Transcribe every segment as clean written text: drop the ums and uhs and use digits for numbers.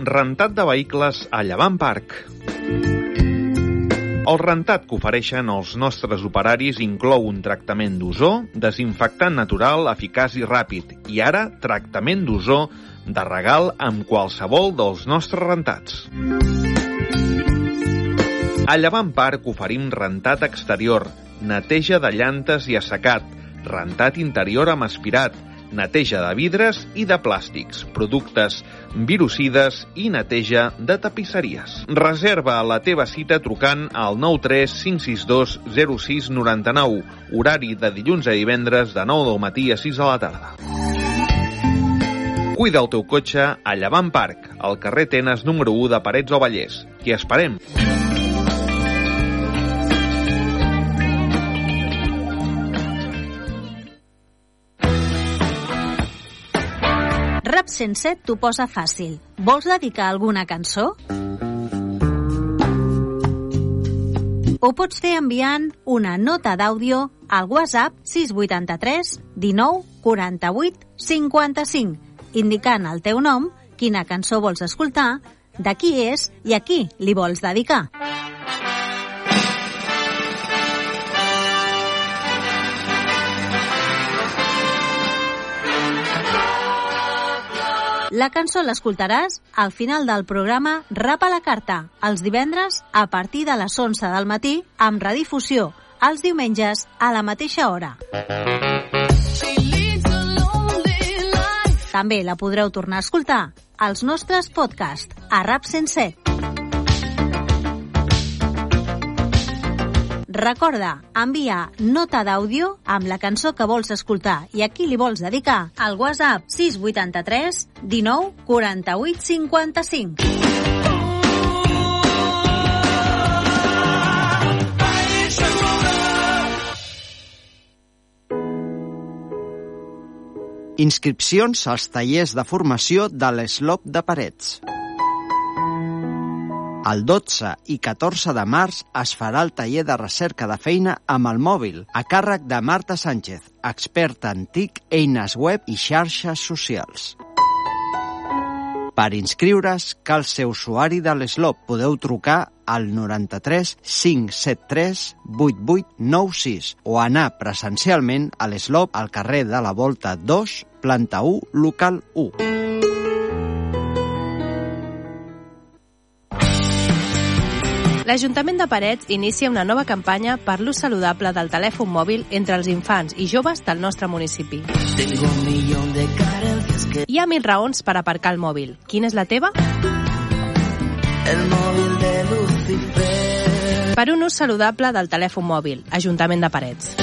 rentat de vehicles a Llevant Parc. El rentat que ofereixen els nostres operaris inclou un tractament d'ozó, desinfectant natural, eficaç i ràpid, i ara tractament d'ozó de regal amb qualsevol dels nostres rentats. A Llevant Parc oferim rentat exterior, neteja de llantes i assecat, rentat interior amb aspirat, neteja de vidres i de plàstics, productes virucides i neteja de tapisseries. Reserva la teva cita trucant al 93 562 0699, horari de dilluns a divendres de 9 del matí a 6 de la tarda. Cuida el teu cotxe a Llevant Parc, al carrer Tenes número 1 de Parets o Vallès. T'hi esperem! Rap 107 t'ho posa fàcil. Vols dedicar alguna cançó? Ho pots fer enviant una nota d'àudio al WhatsApp 683 19 48 55, indicant el teu nom, quina cançó vols escoltar, de qui és i a qui li vols dedicar. La cançó l'escoltaràs al final del programa Rap a la Carta, els divendres a partir de les 11 del matí, amb redifusió els diumenges a la mateixa hora. També la podreu tornar a escoltar als nostres podcasts a Rap 107. Recorda, envia nota d'àudio amb la cançó que vols escoltar i a qui li vols dedicar al WhatsApp 683 19 48 55. Inscripcions als tallers de formació de l'Eslop de Parets. El 12 i 14 de març es farà el taller de recerca de feina amb el mòbil, a càrrec de Marta Sánchez, experta en TIC, eines web i xarxes socials. Per inscriure's, cal ser usuari de l'Eslop. Podeu trucar al 93 573 8896 o anar presencialment a l'Eslop al carrer de la Volta 2, planta 1, local 1. L'Ajuntament de Parets inicia una nova campanya per l'ús saludable del telèfon mòbil entre els infants i joves del nostre municipi. Hi ha 1000 raons per aparcar el mòbil. Quina és la teva? El mòbil de Lucifer. Per un ús saludable del telèfon mòbil, Ajuntament de Parets.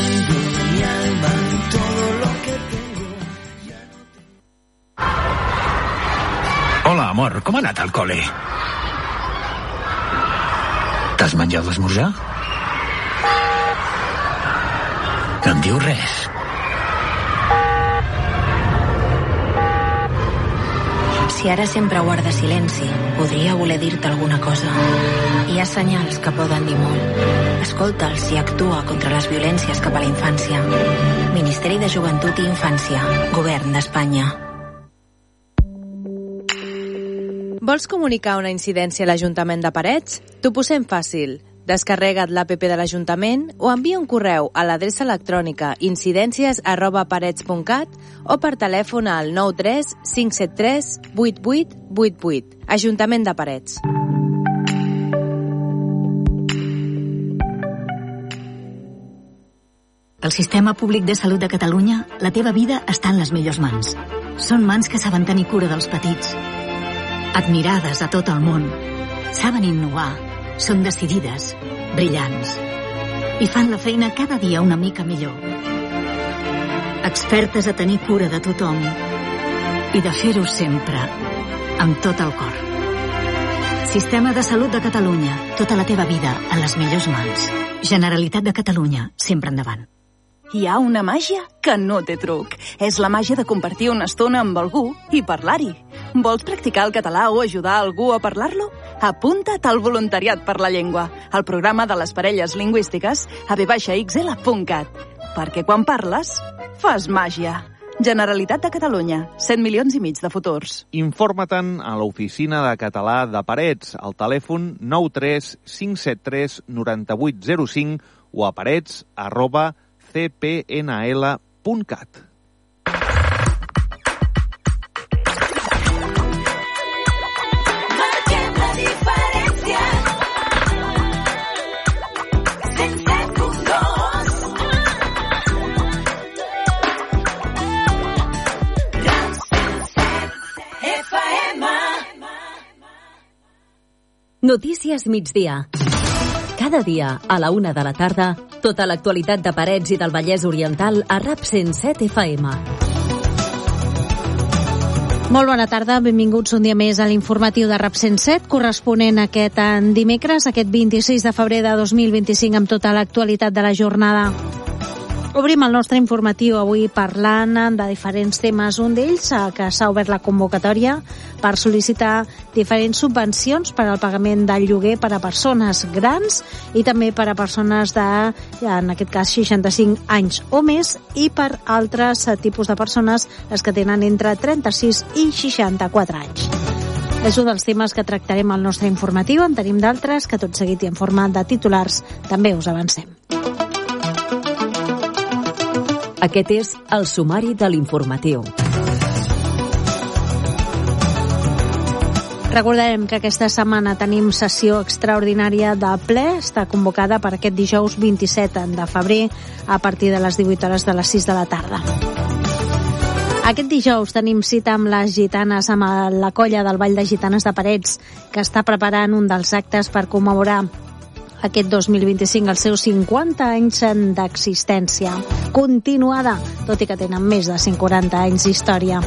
Hola, amor, com ha anat al col·le? T'has menjat l'esmorzar? No em dius res. Si ara sempre guarda silenci, podria voler dir-te alguna cosa. Hi ha senyals que poden dir molt. Escolta'ls i actua contra les violències cap a la infància. Ministeri de Joventut i Infància, Govern d'Espanya. Vols comunicar una incidència a l'Ajuntament de Parets? T'ho posem fàcil. Descarrega't l'APP de l'Ajuntament o envia un correu a l'adreça electrònica incidències@parets.cat o per telèfon al 93 573 8888. Ajuntament de Parets. Al Sistema Públic de Salut de Catalunya, la teva vida està en les millors mans. Són mans que saben tenir cura dels petits, admirades a tot el món, saben innovar, són decidides, brillants, i fan la feina cada dia una mica millor. Expertes a tenir cura de tothom i de fer-ho sempre, amb tot el cor. Sistema de Salut de Catalunya, tota la teva vida en les millors mans. Generalitat de Catalunya, sempre endavant. Hi ha una màgia que no té truc. És la màgia de compartir una estona amb algú i parlar-hi. Vols practicar el català o ajudar algú a parlar-lo? Apunta't al Voluntariat per la Llengua, al programa de les parelles lingüístiques a v-xl.cat. Perquè quan parles, fas màgia. Generalitat de Catalunya, 100 milions i mig de futurs. Informa-te'n a l'oficina de català de Parets, al telèfon 93 573 9805 o a parets@cpnl.cat. Notícies migdia. Cada dia, a la 1 de la tarda, tota l'actualitat de Parets i del Vallès Oriental a RAP 107 FM. Molt bona tarda, benvinguts un dia més a l'informatiu de RAP 107, corresponent a aquest dimecres, aquest 26 de febrer de 2025, amb tota l'actualitat de la jornada. Obrim el nostre informatiu avui parlant de diferents temes. Un d'ells, que s'ha obert la convocatòria per sol·licitar diferents subvencions per al pagament del lloguer per a persones grans i també per a persones de, en aquest cas, 65 anys o més, i per altres tipus de persones, les que tenen entre 36 i 64 anys. És un dels temes que tractarem al nostre informatiu. En tenim d'altres que tot seguit i en forma de titulars també us avancem. Aquest és el sumari de l'informatiu. Recordarem que aquesta setmana tenim sessió extraordinària de ple. Està convocada per aquest dijous 27 de febrer a partir de les 18 hores de les 6 de la tarda. Aquest dijous tenim cita amb les gitanes, amb la colla del Ball de Gitanes de Parets, que està preparant un dels actes per commemorar aquest 2025 els seus 50 anys d'existència continuada, tot i que tenen més de 140 anys d'història.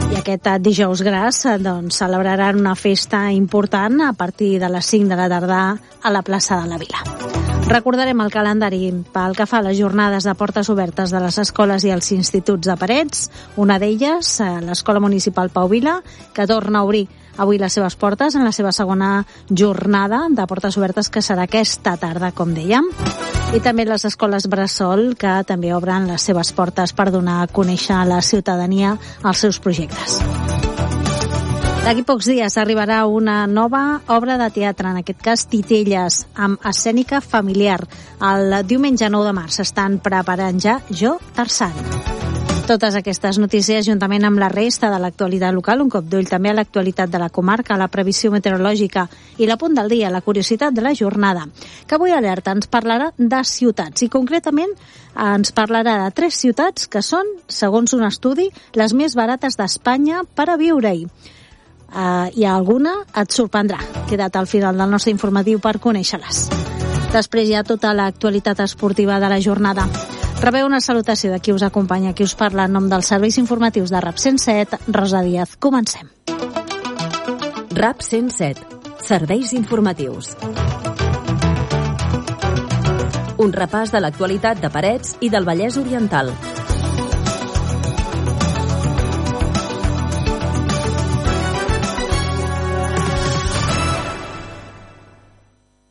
I aquest dijous gras celebraran una festa important a partir de les 5 de la tarda a la plaça de la Vila. Recordarem el calendari pel que fa a les jornades de portes obertes de les escoles i els instituts de Parets. Una d'elles, l'Escola Municipal Pau Vila, que torna a obrir avui les seves portes en la seva segona jornada de portes obertes, que serà aquesta tarda, com dèiem. I també les escoles Bressol, que també obren les seves portes per donar a conèixer a la ciutadania els seus projectes. D'aquí pocs dies arribarà una nova obra de teatre, en aquest cas Titelles, amb escènica familiar. El diumenge 9 de març estan preparant ja Jo, Tarzan. Totes aquestes notícies, juntament amb la resta de l'actualitat local, un cop d'ull també a l'actualitat de la comarca, la previsió meteorològica i la punt del dia, la curiositat de la jornada, que avui Alerta ens parlarà de ciutats i concretament ens parlarà de 3 ciutats que són, segons un estudi, les més barates d'Espanya per a viure-hi. I alguna et sorprendrà. Queda't al final del nostre informatiu per conèixer-les. Després hi ha tota l'actualitat esportiva de la jornada. Rebeu una salutació de qui us acompanya, qui us parla en nom dels serveis informatius de RAP 107, Rosa Díaz. Comencem. RAP 107. Serveis informatius. Un repàs de l'actualitat de Parets i del Vallès Oriental.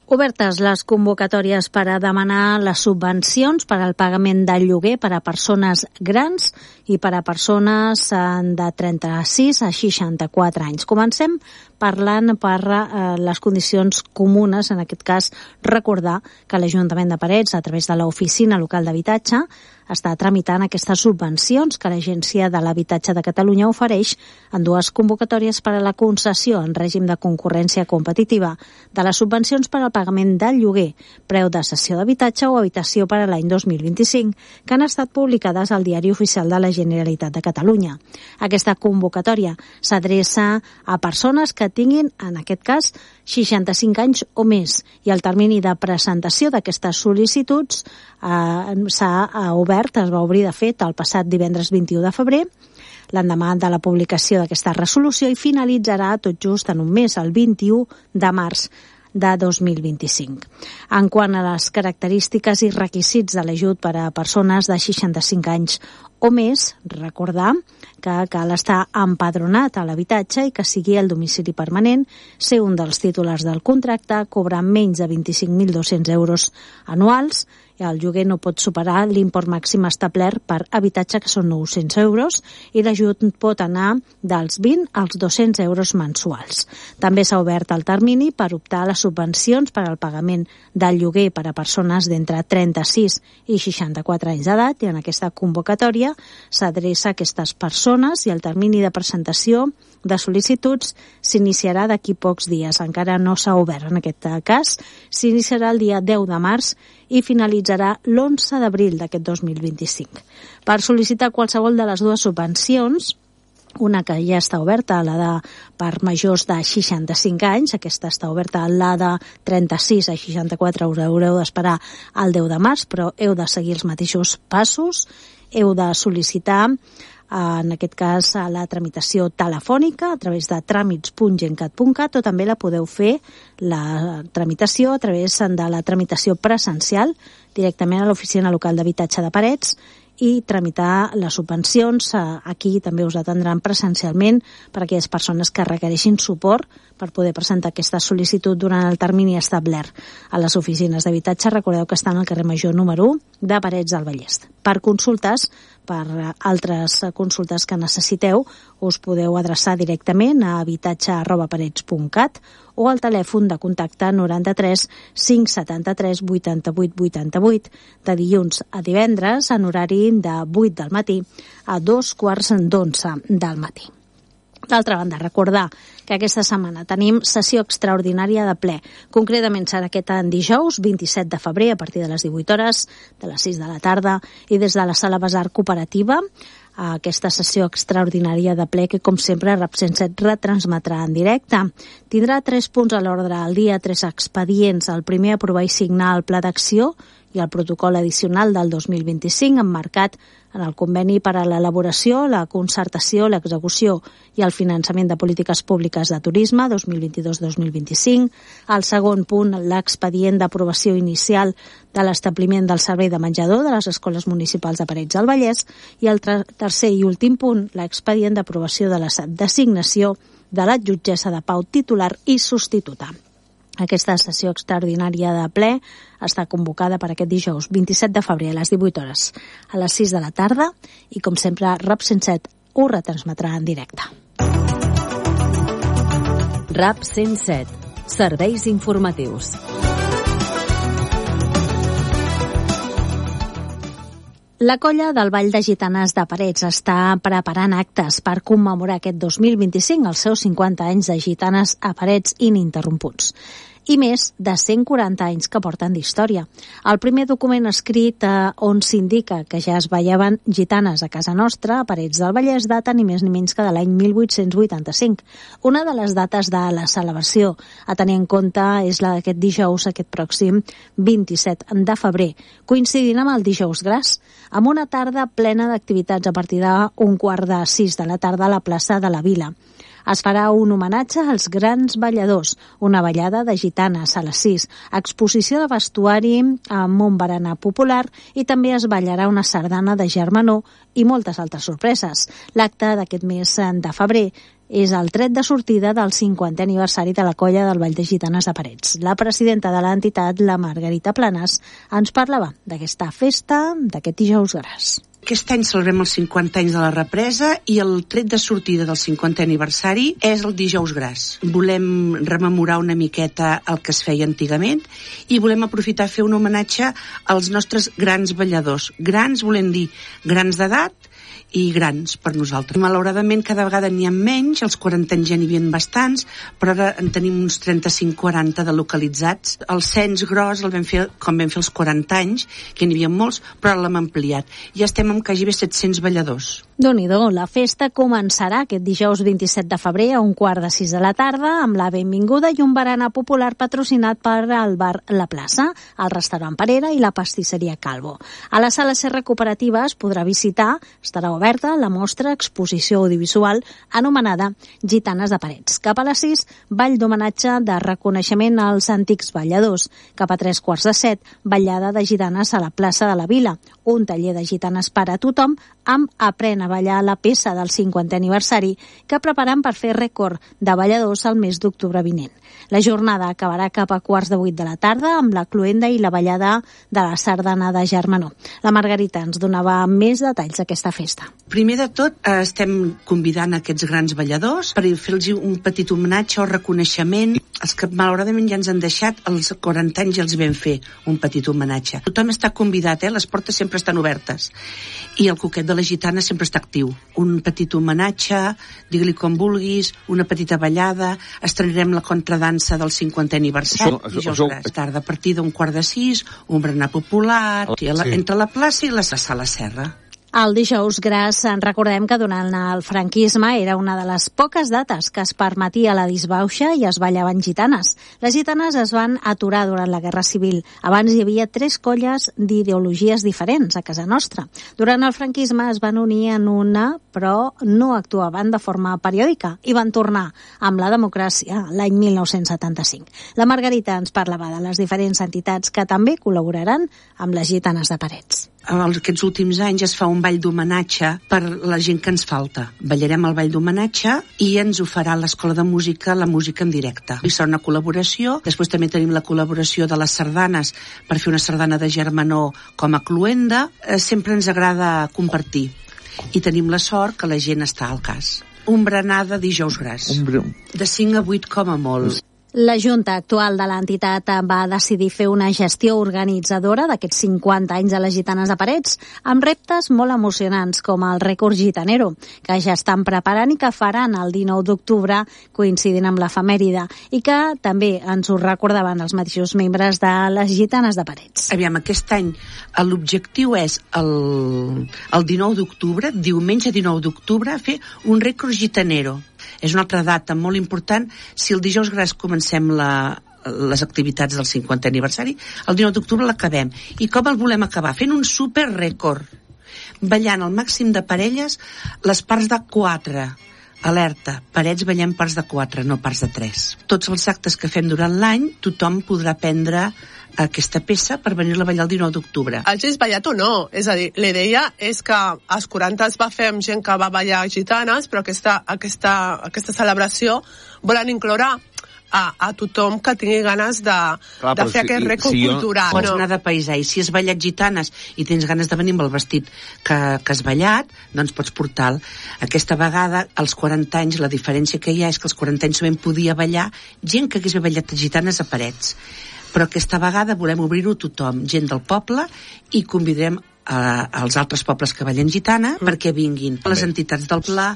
Obertes les convocatòries per a demanar les subvencions per al pagament del lloguer per a persones grans i per a persones de 36 a 64 anys. Comencem parlant per les condicions comunes, en aquest cas recordar que l'Ajuntament de Parets, a través de l'Oficina Local d'Habitatge, està tramitant aquestes subvencions que l'Agència de l'Habitatge de Catalunya ofereix en 2 convocatòries per a la concessió en règim de concurrència competitiva de les subvencions per al pagament del lloguer, preu de cessió d'habitatge o habitació per a l'any 2025, que han estat publicades al Diari Oficial de la Generalitat de Catalunya. Aquesta convocatòria s'adreça a persones que tinguin, en aquest cas, 65 anys o més, i el termini de presentació d'aquestes sol·licituds s'ha obert, es va obrir de fet el passat divendres 21 de febrer, l'endemà de la publicació d'aquesta resolució, i finalitzarà tot just en un mes, el 21 de març de 2025. En quant a les característiques i requisits de l'ajut per a persones de 65 anys o més, recordar que cal estar empadronat a l'habitatge i que sigui el domicili permanent, ser un dels titulars del contracte, cobrar menys de 25.200 euros anuals, i el lloguer no pot superar l'import màxim establert per habitatge, que són 900 euros, i l'ajut pot anar dels 20 als 200 euros mensuals. També s'ha obert el termini per optar a les subvencions per al pagament del lloguer per a persones d'entre 36 i 64 anys d'edat, i en aquesta convocatòria s'adreça a aquestes persones i el termini de presentació de sol·licituds s'iniciarà d'aquí pocs dies. Encara no s'ha obert en aquest cas. S'iniciarà el dia 10 de març i finalitzarà l'11 d'abril d'aquest 2025. Per sol·licitar qualsevol de les dues subvencions, una que ja està oberta, la de per majors de 65 anys, aquesta està oberta, la de 36 a 64 us haureu d'esperar al 10 de març, però heu de seguir els mateixos passos, heu de sol·licitar en aquest cas a la tramitació telefònica a través de tràmits.gencat.cat, o també la podeu fer la tramitació a través de la tramitació presencial directament a l'oficina local d'habitatge de Parets, i tramitar les subvencions. Aquí també us atendran presencialment per a aquelles persones que requereixin suport per poder presentar aquesta sol·licitud durant el termini establert a les oficines d'habitatge. Recordeu que estan al carrer Major número 1 de Parets del Vallès. Per consultes, per altres consultes que necessiteu, us podeu adreçar directament a habitatge@parets.cat o al telèfon de contacte 93 573 88 88 de dilluns a divendres en horari de 8 del matí a 2:15 del matí. D'altra banda, recordar que aquesta setmana tenim sessió extraordinària de ple. Concretament serà aquest dijous, 27 de febrer, a partir de les 18 hores, de les 6 de la tarda, i des de la Sala Besar Cooperativa, aquesta sessió extraordinària de ple que, com sempre, RAP 107 retransmetrà en directe. Tindrà 3 punts a l'ordre del dia, 3 expedients. El primer, aprovar i signar el pla d'acció i el protocol addicional del 2025, emmarcat en el conveni per a l'elaboració, la concertació, l'execució i el finançament de polítiques públiques de turisme 2022-2025. El segon punt, l'expedient d'aprovació inicial de l'establiment del servei de menjador de les escoles municipals de Parets del Vallès. I el tercer i últim punt, l'expedient d'aprovació de la designació de la jutgessa de pau titular i substituta. Aquesta sessió extraordinària de ple està convocada per aquest dijous 27 de febrer a les 18 hores, a les 6 de la tarda, i com sempre RAP 107 ho retransmetrà en directe. RAP 107, serveis informatius. La colla del Ball de Gitanes de Parets està preparant actes per commemorar aquest 2025 els seus 50 anys de Gitanes a Parets ininterromputs i més de 140 anys que porten d'història. El primer document escrit on s'indica que ja es ballaven gitanes a casa nostra, a Parets del Vallès, data ni més ni menys que de l'any 1885. Una de les dates de la celebració a tenir en compte és la d'aquest dijous, aquest pròxim 27 de febrer, coincidint amb el dijous gras, amb una tarda plena d'activitats a partir d'15:45 de la tarda a la plaça de la Vila. Es farà un homenatge als grans balladors, una ballada de gitanes a les 6, exposició de vestuari amb un berenar popular i també es ballarà una sardana de germanor i moltes altres sorpreses. L'acte d'aquest mes de febrer és el tret de sortida del 50è aniversari de la colla del Ball de Gitanes de Parets. La presidenta de l'entitat, la Margarita Planas, ens parlava d'aquesta festa d'aquest dijous gras. Aquest any celebrem els 50 anys de la represa i el tret de sortida del 50è aniversari és el dijous gras. Volem rememorar una miqueta el que es feia antigament i volem aprofitar a fer un homenatge als nostres grans balladors. Grans volem dir grans d'edat i grans per nosaltres. Malauradament cada vegada n'hi ha menys, els 40 anys ja n'hi havia bastants, però ara en tenim uns 35-40 de localitzats. El cens gros el vam fer com vam fer els 40 anys, que n'hi havia molts, però ara l'hem ampliat. Ja estem amb quasi 700 balladors. Déu-n'hi-do, la festa començarà aquest dijous 27 de febrer a 5:45 de la tarda amb la benvinguda i un berenar popular patrocinat per el bar La Plaça, el restaurant Parera i la pastisseria Calvo. A la sala Serra Cooperativa es podrà visitar, estarà oberta la mostra exposició audiovisual anomenada Gitanes de Parets. Cap a les 6, ball d'homenatge de reconeixement als antics balladors. Cap a 3:15, ballada de gitanes a la plaça de la Vila. Un taller de gitanes per a tothom amb Aprèn a ballar, la peça del 50è aniversari que preparen per fer rècord de balladors el mes d'octubre vinent. La jornada acabarà cap a 7:15 de la tarda amb la cloenda i la ballada de la sardana de Germanó. La Margarita ens donava més detalls d'aquesta festa. Primer de tot, estem convidant aquests grans balladors per fer-los un petit homenatge o reconeixement. Els que malauradament ja ens han deixat, als 40 anys ja els vam fer un petit homenatge. Tothom està convidat, les portes sempre estan obertes. I el Coquet de la Gitana sempre està actiu. Un petit homenatge, digue-li com vulguis, una petita ballada, estrenarem la contradansa del 50è aniversari, dijous gras. Tarda, a partir d'un 5:15, un berenar popular, entre la plaça i la Sala Serra. El dijous gras, recordem que durant el franquisme era una de les poques dates que es permetia la disbauxa i es ballaven gitanes. Les gitanes es van aturar durant la Guerra Civil. Abans hi havia 3 colles d'ideologies diferents a casa nostra. Durant el franquisme es van unir en una, però no actuaven de forma periòdica i van tornar amb la democràcia l'any 1975. La Margarita ens parlava de les diferents entitats que també col·laboraran amb les gitanes de Parets. Aquests últims anys es fa un ball d'homenatge per la gent que ens falta. Ballarem el ball d'homenatge i ens ho farà l'Escola de Música, la música en directe. I serà una col·laboració. Després també tenim la col·laboració de les sardanes per fer una sardana de Germanó com a cloenda. Sempre ens agrada compartir. I tenim la sort que la gent està al cas. Un berenar de dijous gras. De 5 a 8 com a molt. La Junta actual de l'entitat va decidir fer una gestió organitzadora d'aquests 50 anys de les gitanes de Parets amb reptes molt emocionants com el rècord gitanero, que ja estan preparant i que faran el 19 d'octubre coincidint amb l'efemèride i que també ens ho recordaven els mateixos membres de les gitanes de Parets. Aviam, aquest any l'objectiu és el 19 d'octubre, diumenge 19 d'octubre, fer un rècord gitanero. És una altra data molt important. Si el dijous gras comencem les activitats del 50è aniversari, el 19 d'octubre l'acabem. I com el volem acabar? Fent un super rècord. Ballant el màxim de parelles les parts de 4. Alerta, Parets ballem parts de 4, no parts de 3. Tots els actes que fem durant l'any, tothom podrà prendre aquesta peça per venir-la a ballar el 19 d'octubre. Hagis ballat o no? És a dir, la idea és que als 40 es va fer amb gent que va ballar gitanes, però aquesta celebració volen incloure a tothom que tingui ganes de fer aquest rècord cultural. Pots anar de paisà, i si has ballat gitanes i tens ganes de venir amb el vestit que has ballat, doncs pots portar-lo. Aquesta vegada, als 40 anys, la diferència que hi ha és que als 40 anys solament podia ballar gent que hagués ballat gitanes a Parets. Però aquesta vegada volem obrir-ho a tothom, gent del poble, i convidarem als altres pobles que ballen gitana perquè vinguin. Les entitats del Pla,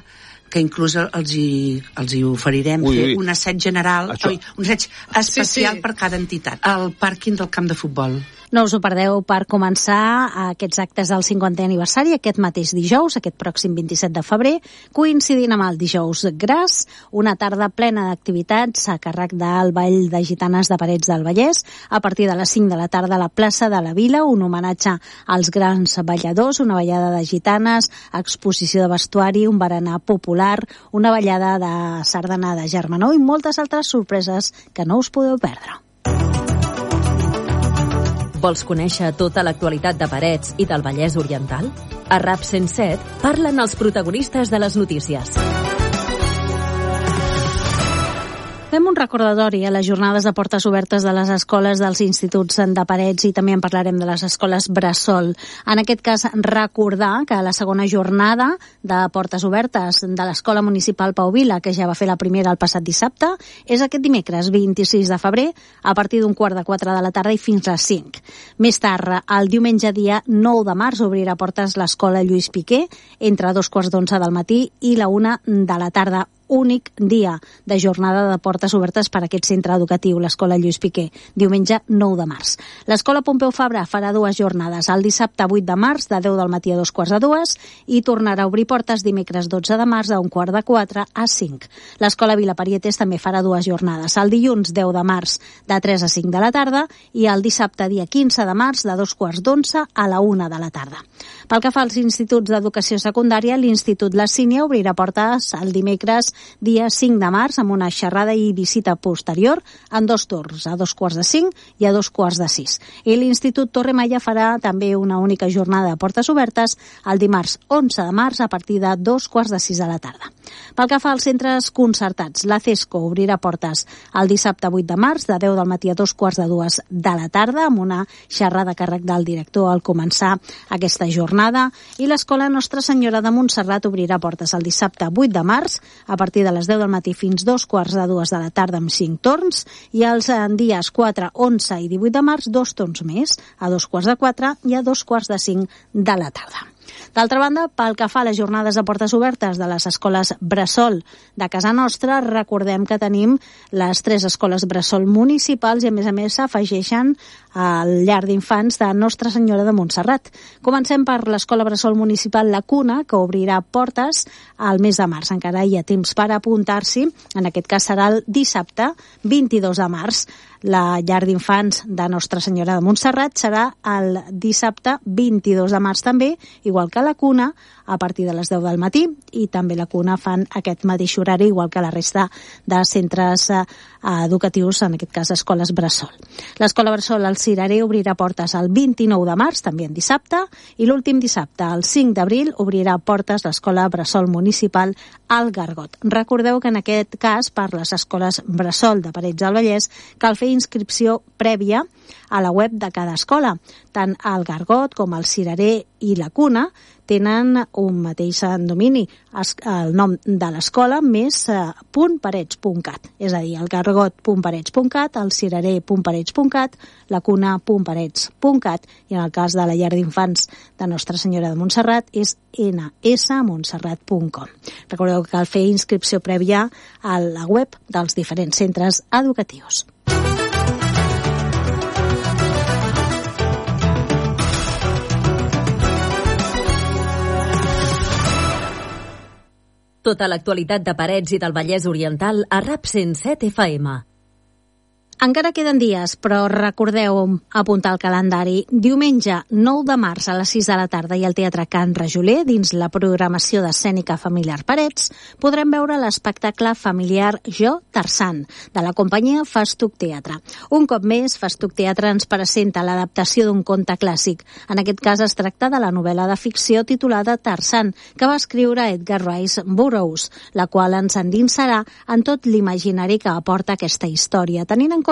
que inclús els hi oferirem fer un assaig general, un assaig especial per cada entitat, al pàrquing del camp de futbol. No us ho perdeu per començar aquests actes del 50è aniversari aquest mateix dijous, aquest pròxim 27 de febrer, coincidint amb el dijous gras, una tarda plena d'activitats a càrrec del Ball de Gitanes de Parets del Vallès, a partir de les 5 de la tarda a la plaça de la Vila, un homenatge als grans balladors, una ballada de gitanes, exposició de vestuari, un berenar popular, una ballada de sardana de Germanó i moltes altres sorpreses que no us podeu perdre. Vols conèixer tota l'actualitat de Parets i del Vallès Oriental? A RAP 107 parlen els protagonistes de les notícies. Fem un recordatori a les jornades de portes obertes de les escoles dels instituts de Parets i també en parlarem de les escoles Bressol. En aquest cas, recordar que la segona jornada de portes obertes de l'Escola Municipal Pau Vila, que ja va fer la primera el passat dissabte, és aquest dimecres 26 de febrer a partir d'un 3:15 de la tarda i fins a les 5. Més tard, el diumenge dia 9 de març, obrirà portes l'Escola Lluís Piqué entre 2:15 del matí i la 1 de la tarda. Únic dia de jornada de portes obertes per a aquest centre educatiu, l'Escola Lluís Piqué, diumenge 9 de març. L'Escola Pompeu Fabra farà 2 jornades, el dissabte 8 de març de 10 del matí a 2:15 i tornarà a obrir portes dimecres 12 de març de 1:15 a 5. L'Escola Vila Parietes també farà 2 jornades, el dilluns 10 de març de 3 a 5 de la tarda i el dissabte dia 15 de març de 2:15 a la 1 de la tarda. Pel que fa als instituts d'educació secundària, l'Institut La Sínia obrirà portes el dimecres dia 5 de març, amb una xerrada i visita posterior en 2 torns, a 2:45 i a 2:45. I l'Institut Torre Maya farà també una única jornada de portes obertes el dimarts 11 de març a partir de 2:45 de la tarda. Pel que fa als centres concertats, la CESCO obrirà portes el dissabte 8 de març de 10 del matí a 2:45 de la tarda amb una xerrada a càrrec del director al començar aquesta jornada, i l'Escola Nostra Senyora de Montserrat obrirà portes el dissabte 8 de març a partir de les 10 del matí fins 2:45 de la tarda amb 5 torns, i els dies 4, 11 i 18 de març 2 torns més, a 2:45 i a 2:45 de la tarda. D'altra banda, pel que fa a les jornades de portes obertes de les escoles bressol de casa nostra, recordem que tenim les 3 escoles bressol municipals i, a més, s'afegeixen al llar d'infants de Nostra Senyora de Montserrat. Comencem per l'escola bressol municipal La Cuna, que obrirà portes al mes de març. Encara hi ha temps per apuntar-s'hi. En aquest cas serà el dissabte 22 de març. La llar d'infants de Nostra Senyora de Montserrat serà el dissabte 22 de març també, igual que La Cuna, a partir de les 10 del matí, i també La Cuna fan aquest mateix horari, igual que la resta de centres educatius, en aquest cas escoles bressol. L'escola bressol al Cirerer obrirà portes el 29 de març, també en dissabte, i l'últim dissabte, el 5 d'abril, obrirà portes l'escola bressol municipal al Gargot. Recordeu que en aquest cas, per les escoles bressol de Parets del Vallès, cal fer inscripció prèvia a la web de cada escola. Tant el Gargot com el Cirerer i La Cuna tenen un mateix domini, el nom de l'escola més .parets.cat, és a dir, el gargot.parets.cat, el cirerer.parets.cat, la cuna.parets.cat, i en el cas de la llar d'infants de Nostra Senyora de Montserrat és nsmontserrat.com. Recordeu que cal fer inscripció prèvia a la web dels diferents centres educatius. Tota l'actualitat de Parets i del Vallès Oriental a RAP 107 FM. Encara queden dies, però recordeu apuntar el calendari. Diumenge 9 de març a les 6 de la tarda i al Teatre Can Rajoler, dins la programació d'escènica familiar Parets, podrem veure l'espectacle familiar Jo, Tarzan, de la companyia Festuc Teatre. Un cop més, Festuc Teatre ens presenta l'adaptació d'un conte clàssic. En aquest cas es tracta de la novel·la de ficció titulada Tarzan, que va escriure Edgar Rice Burroughs, la qual ens endinsarà en tot l'imaginari que aporta aquesta història, tenint en compte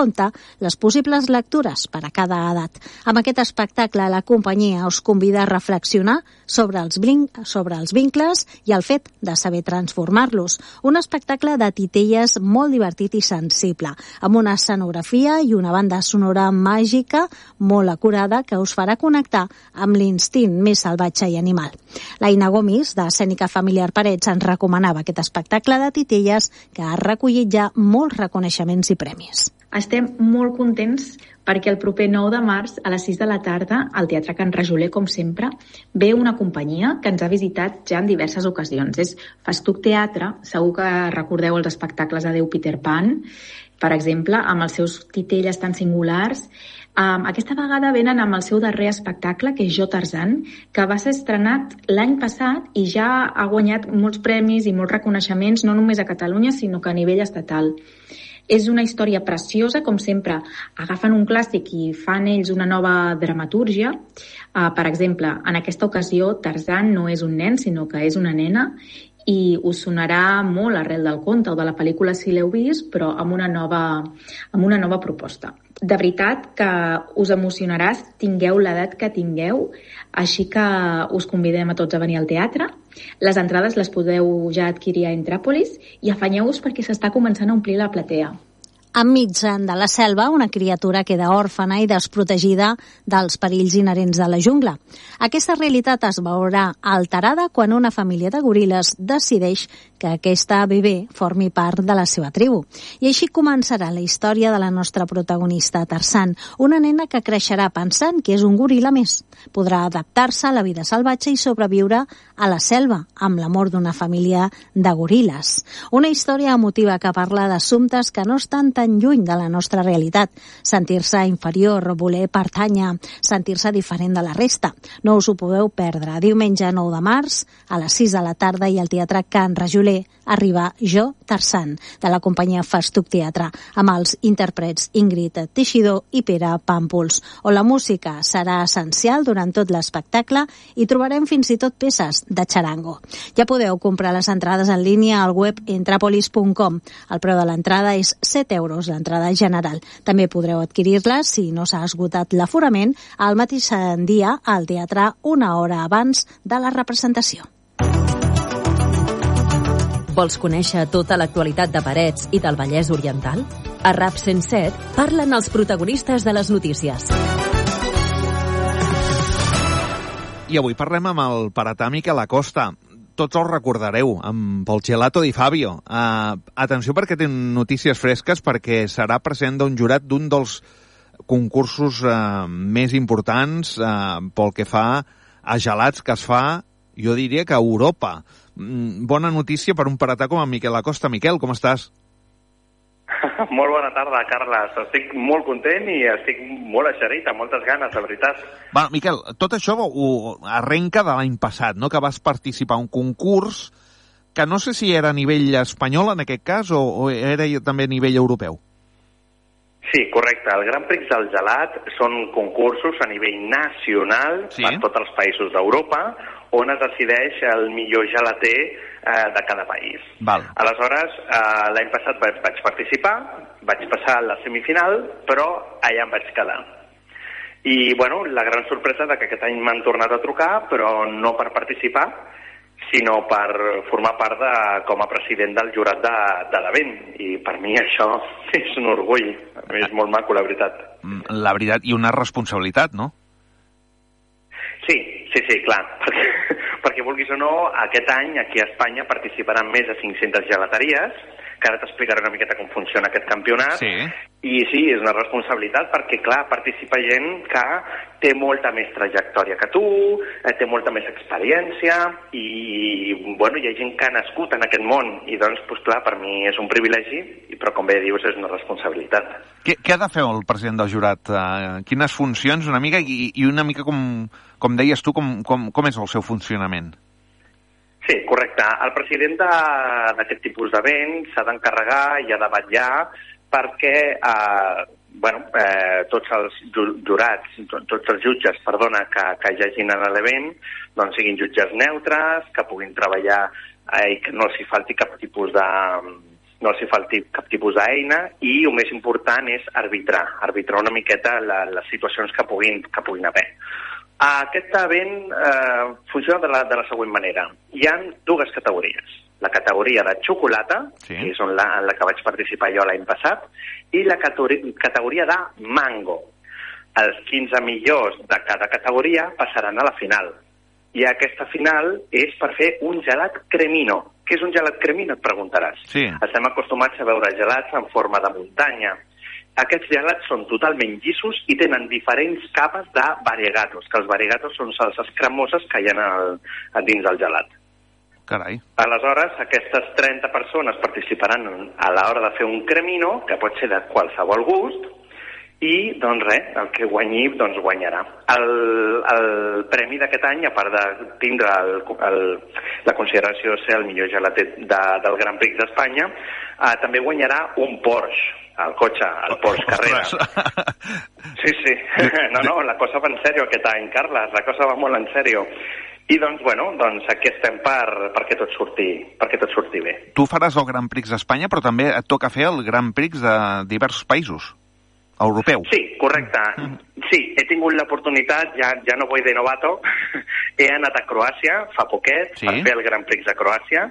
les possibles lectures per a cada edat. Amb aquest espectacle, la companyia us convida a reflexionar sobre els vincles i el fet de saber transformar-los. Un espectacle de titelles molt divertit i sensible, amb una escenografia i una banda sonora màgica molt acurada que us farà connectar amb l'instint més salvatge i animal. L'Aina Gomis, d'Escènica Familiar Parets, ens recomanava aquest espectacle de titelles que ha recollit ja molts reconeixements i premis. Estem molt contents perquè el proper 9 de març a les 6 de la tarda al Teatre Can Rajoler, com sempre, ve una companyia que ens ha visitat ja en diverses ocasions. És Festuc Teatre, segur que recordeu els espectacles de Déu Peter Pan, per exemple, amb els seus titelles tan singulars. Aquesta vegada venen amb el seu darrer espectacle, que és Jo, Tarzan, que va ser estrenat l'any passat i ja ha guanyat molts premis i molts reconeixements, no només a Catalunya, sinó que a nivell estatal. És una història preciosa, com sempre, agafen un clàssic i fan ells una nova dramatúrgia. Per exemple, en aquesta ocasió, Tarzan no és un nen, sinó que és una nena, i us sonarà molt arrel del conte o de la pel·lícula si l'heu vist, però amb una nova proposta. De veritat que us emocionaràs, tingueu l'edat que tingueu, així que us convidem a tots a venir al teatre. Les entrades les podeu ja adquirir a Entràpolis i afanyeu-vos perquè s'està començant a omplir la platea. Enmig de la selva, una criatura queda òrfana i desprotegida dels perills inherents de la jungla. Aquesta realitat es veurà alterada quan una família de goril·les decideix que aquesta bebè formi part de la seva tribu. I així començarà la història de la nostra protagonista, Tarzan, una nena que creixerà pensant que és un goril·la més. Podrà adaptar-se a la vida salvatge i sobreviure a la selva, amb l'amor d'una família de goril·les. Una història emotiva que parla d'assumptes que no estan tan lluny de la nostra realitat. Sentir-se inferior, voler pertànyer, sentir-se diferent de la resta. No us ho podeu perdre. Diumenge 9 de març, a les 6 de la tarda, i al Teatre Can Rajoler arriba Jo Tarzan, de la companyia Festuc Teatre, amb els intèrprets Ingrid Teixidor i Pere Pàmpols, on la música serà essencial durant tot l'espectacle i trobarem fins i tot peces de charango. Ja podeu comprar les entrades en línia al web entrapolis.com. El preu de l'entrada és 7 euros, l'entrada general. També podreu adquirir-la, si no s'ha esgotat l'aforament, al mateix dia al teatre una hora abans de la representació. Vols conèixer tota l'actualitat de Parets i del Vallès Oriental? A RAP 107 parlen els protagonistes de les notícies. I avui parlem amb el Paratà Miquel Acosta. Tots el recordareu, pel Gelato di Fabio. Atenció perquè té notícies fresques, perquè serà president d'un jurat d'un dels concursos més importants pel que fa a gelats que es fa, jo diria que a Europa. Bona notícia per un paratà com en Miquel Acosta. Miquel, com estàs? Molt bona tarda, Carles. Estic molt content i estic molt eixerit, amb moltes ganes, de veritat. Va, Miquel, tot això ho arrenca de l'any passat, no?, que vas participar a un concurs que no sé si era a nivell espanyol en aquest cas o era també a nivell europeu. Sí, correcte. El Gran Prix del Gelat són concursos a nivell nacional per tots els països d'Europa, on es decideix el millor gelater de cada país. Val. Aleshores, l'any passat vaig participar, vaig passar a la semifinal, però allà em vaig quedar. I, bueno, la gran sorpresa de que aquest any m'han tornat a trucar, però no per participar, sinó per formar part com a president del jurat de l'event. I per mi això és un orgull. A mi és molt maco, la veritat. La veritat, i una responsabilitat, no? Sí, clar. Perquè vulguis o no, aquest any aquí a Espanya participaran més de 500 gelateries, que ara t'explicaré una miqueta com funciona aquest campionat. Sí. I sí, és una responsabilitat perquè, clar, participa gent que té molta més trajectòria que tu, té molta més experiència i, bueno, hi ha gent que ha nascut en aquest món i, doncs, clar, per mi és un privilegi, però, com bé dius, és una responsabilitat. Què ha de fer el president del jurat? Quines funcions, una mica, i una mica com deies tu, com és el seu funcionament? Sí, correcte. El president d'aquest tipus d'event s'ha d'encarregar i ha de vetllar perquè tots els jurats, tots els jutges, que hi hagin a l'event, doncs siguin jutges neutres, que puguin treballar i que no els hi falti cap tipus d'eina, i el més important és arbitrar una miqueta les situacions que puguin haver. Aquest event funciona de la següent manera. Hi ha dues categories. La categoria de xocolata, que és en la que vaig participar jo l'any passat, i la categoria de mango. Els 15 millors de cada categoria passaran a la final. I aquesta final és per fer un gelat cremino. Què és un gelat cremino, et preguntaràs? Sí. Estem acostumats a veure gelats en forma de muntanya. Aquests gelats són totalment llissos i tenen diferents capes de variegatos, que els variegatos són salses cremoses que hi ha dins del gelat. Carai. Aleshores, aquestes 30 persones participaran a l'hora de fer un cremino, que pot ser de qualsevol gust, i, doncs res, el que guanyi, doncs guanyarà. El premi d'aquest any, a part de tindre la consideració de ser el millor gelater del Gran Prix d'Espanya, també guanyarà un Porsche, el cotxe, el Porsche Carrera. Sí. No, la cosa va en sèrio aquest any, Carles, la cosa va molt en sèrio. I doncs, aquí estem perquè tot surti bé. Tu faràs el Gran Prix d'Espanya, però també et toca fer el Gran Prix de diversos països, europeu. Sí, correcte. Sí, he tingut l'oportunitat, ja no vull de novato, he anat a Croàcia fa poquet per fer el Gran Prix de Croàcia,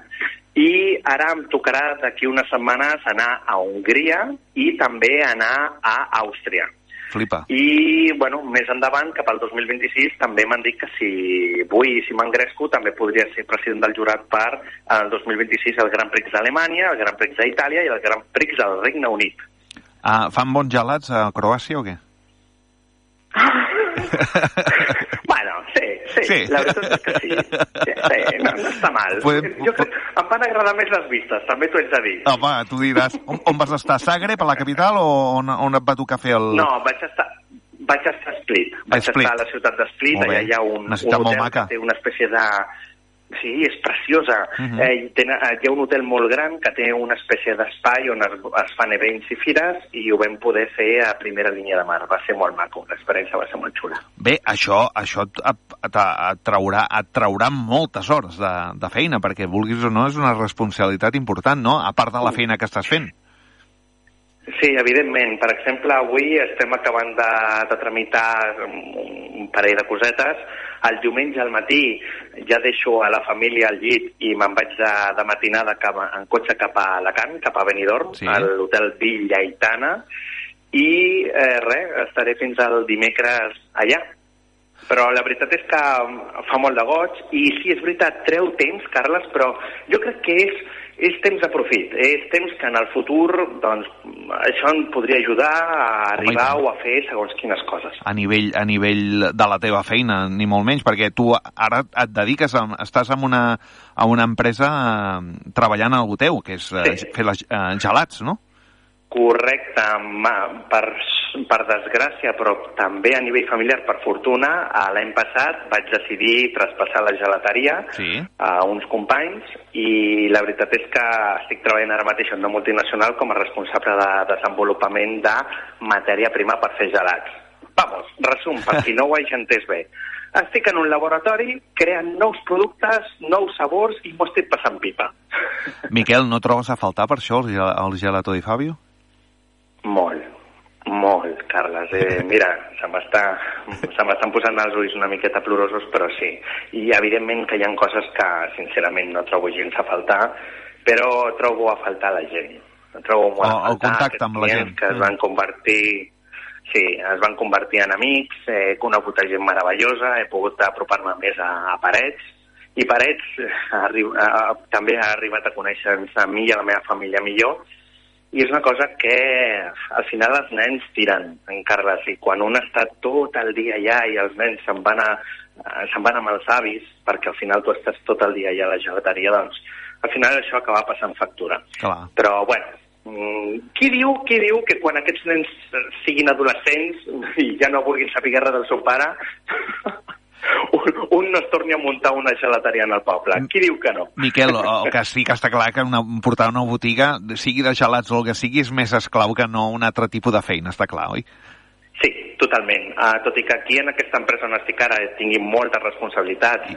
i ara em tocarà d'aquí unes setmanes anar a Hongria i també anar a Àustria. Flipa. I, més endavant, cap al 2026, també m'han dit que si m'engresco, també podria ser president del jurat per el 2026 el Gran Prix d'Alemanya, el Gran Prix d'Itàlia i el Gran Prix del Regne Unit. Fan bons gelats a Croàcia o què? Sí, Sí, la veritat és que sí. No està mal. Jo crec que em van agradar més les vistes, també t'ho haig de dir. Home, tu diràs, on vas estar? A Zagreb, a la capital, o on et va tocar fer el... No, vaig estar a Split. Vaig estar a la ciutat de Split, allà hi ha un hotel que té una espècie de... Sí, és preciosa. Hi ha un hotel molt gran que té una espècie d'espai on es fan events i fires i ho vam poder fer a primera línia de mar. Va ser molt maco, l'experiència va ser molt xula. Bé, això et traurà moltes hores de feina, perquè vulguis o no és una responsabilitat important, no? A part de la feina que estàs fent. Sí, evidentment. Per exemple, avui estem acabant de tramitar un parell de cosetes. El diumenge al matí ja deixo a la família al llit i me'n vaig de matinada en cotxe cap a Alacant, cap a Benidorm, a l'hotel Villa Aitana, i estaré fins al dimecres allà. Però la veritat és que fa molt de goig i sí, és veritat, treu temps, Carles, però jo crec que és temps de profit, és temps que en el futur doncs, això em podria ajudar a arribar o a fer segons quines coses. A nivell de la teva feina, ni molt menys, perquè tu ara et dediques, estàs en una empresa treballant a algú teu, que és fer gelats, no? Correcte, per desgràcia, però també a nivell familiar, per fortuna, l'any passat vaig decidir traspassar la gelateria a uns companys i la veritat és que estic treballant ara mateix en una multinacional com a responsable de desenvolupament de matèria prima per fer gelats. Vamos, resum, per qui no ho hagi entès bé. Estic en un laboratori creant nous productes, nous sabors i m'ho estic passant pipa. Miquel, no trobes a faltar per això el Gelato di Fabio? Molt, Carles. Mira, se m'estan posant els ulls una miqueta plorosos, però sí. I evidentment que hi ha coses que, sincerament, no trobo gens a faltar, però trobo a faltar la gent. Trobo molt a faltar el contacte amb la gent. Que es van convertir en amics, he conegut gent meravellosa, he pogut apropar-me més a Parets, i Parets també ha arribat a conèixer-nos a mi i a la meva família millor, i és una cosa que al final els nens tiren, en Carles, i quan un està tot el dia allà i els nens se'n van amb els avis, perquè al final tu estàs tot el dia allà a la gelateria, doncs al final això acaba passant factura. Clar. Però, bueno, qui diu que quan aquests nens siguin adolescents i ja no vulguin saber res del seu pare, un no es torni a muntar una gelateria en el poble. Qui diu que no? Miquel, el que sí que està clar que portar una botiga, sigui de gelats o el que sigui, és més esclau que no un altre tipus de feina, està clar, oi? Sí, totalment. Tot i que aquí en aquesta empresa on estic ara tingui moltes responsabilitats i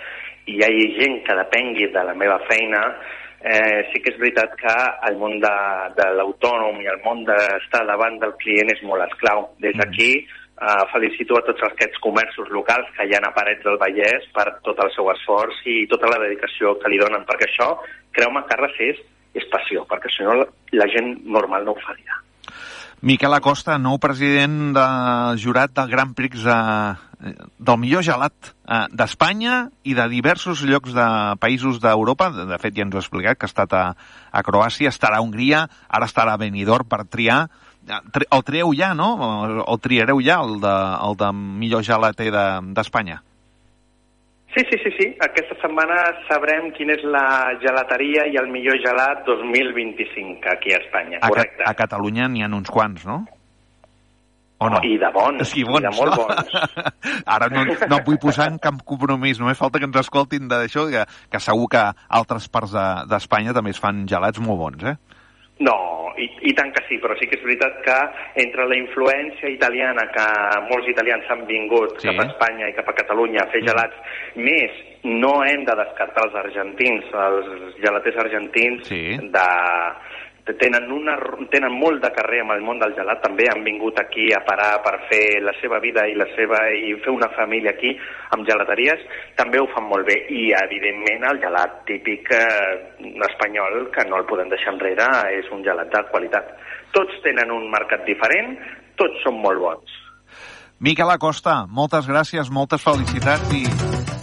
hi hagi gent que depengui de la meva feina, sí que és veritat que el món de l'autònom i el món d'estar davant del client és molt esclau. Des d'aquí felicito a tots aquests comerços locals que hi ha a Parets del Vallès per tot el seu esforç i tota la dedicació que li donen, perquè això, creu-me, Carles, és passió, perquè si no la gent normal no ho faria. Miquel Acosta, nou president del jurat del Grand Prix del millor gelat d'Espanya i de diversos llocs de països d'Europa. De fet, ja ens ho ha explicat, que ha estat a Croàcia, estarà a Hongria, ara estarà a Benidorm per triar. El trieu ja, no? El triareu ja, el de millor gelater d'Espanya? Sí. Aquesta setmana sabrem quina és la gelateria i el millor gelat 2025 aquí a Espanya, correcte. A Catalunya n'hi ha uns quants, no? O no? I de bons, sí, bons, i de molt bons. Ara no vull posar en cap compromís, només falta que ens escoltin d'això, que segur que altres parts d'Espanya també es fan gelats molt bons, eh? No, i tant que sí, però sí que és veritat que entre la influència italiana, que molts italians han vingut cap a Espanya i cap a Catalunya a fer gelats, més no hem de descartar els argentins, els gelaters argentins tenen molt de carrer amb el món del gelat, també han vingut aquí a parar per fer la seva vida i fer una família aquí amb gelateries, també ho fan molt bé. I evidentment el gelat típic espanyol, que no el podem deixar enrere, és un gelat de qualitat. Tots tenen un mercat diferent, tots són molt bons. Miquel Acosta, moltes gràcies, moltes felicitats i...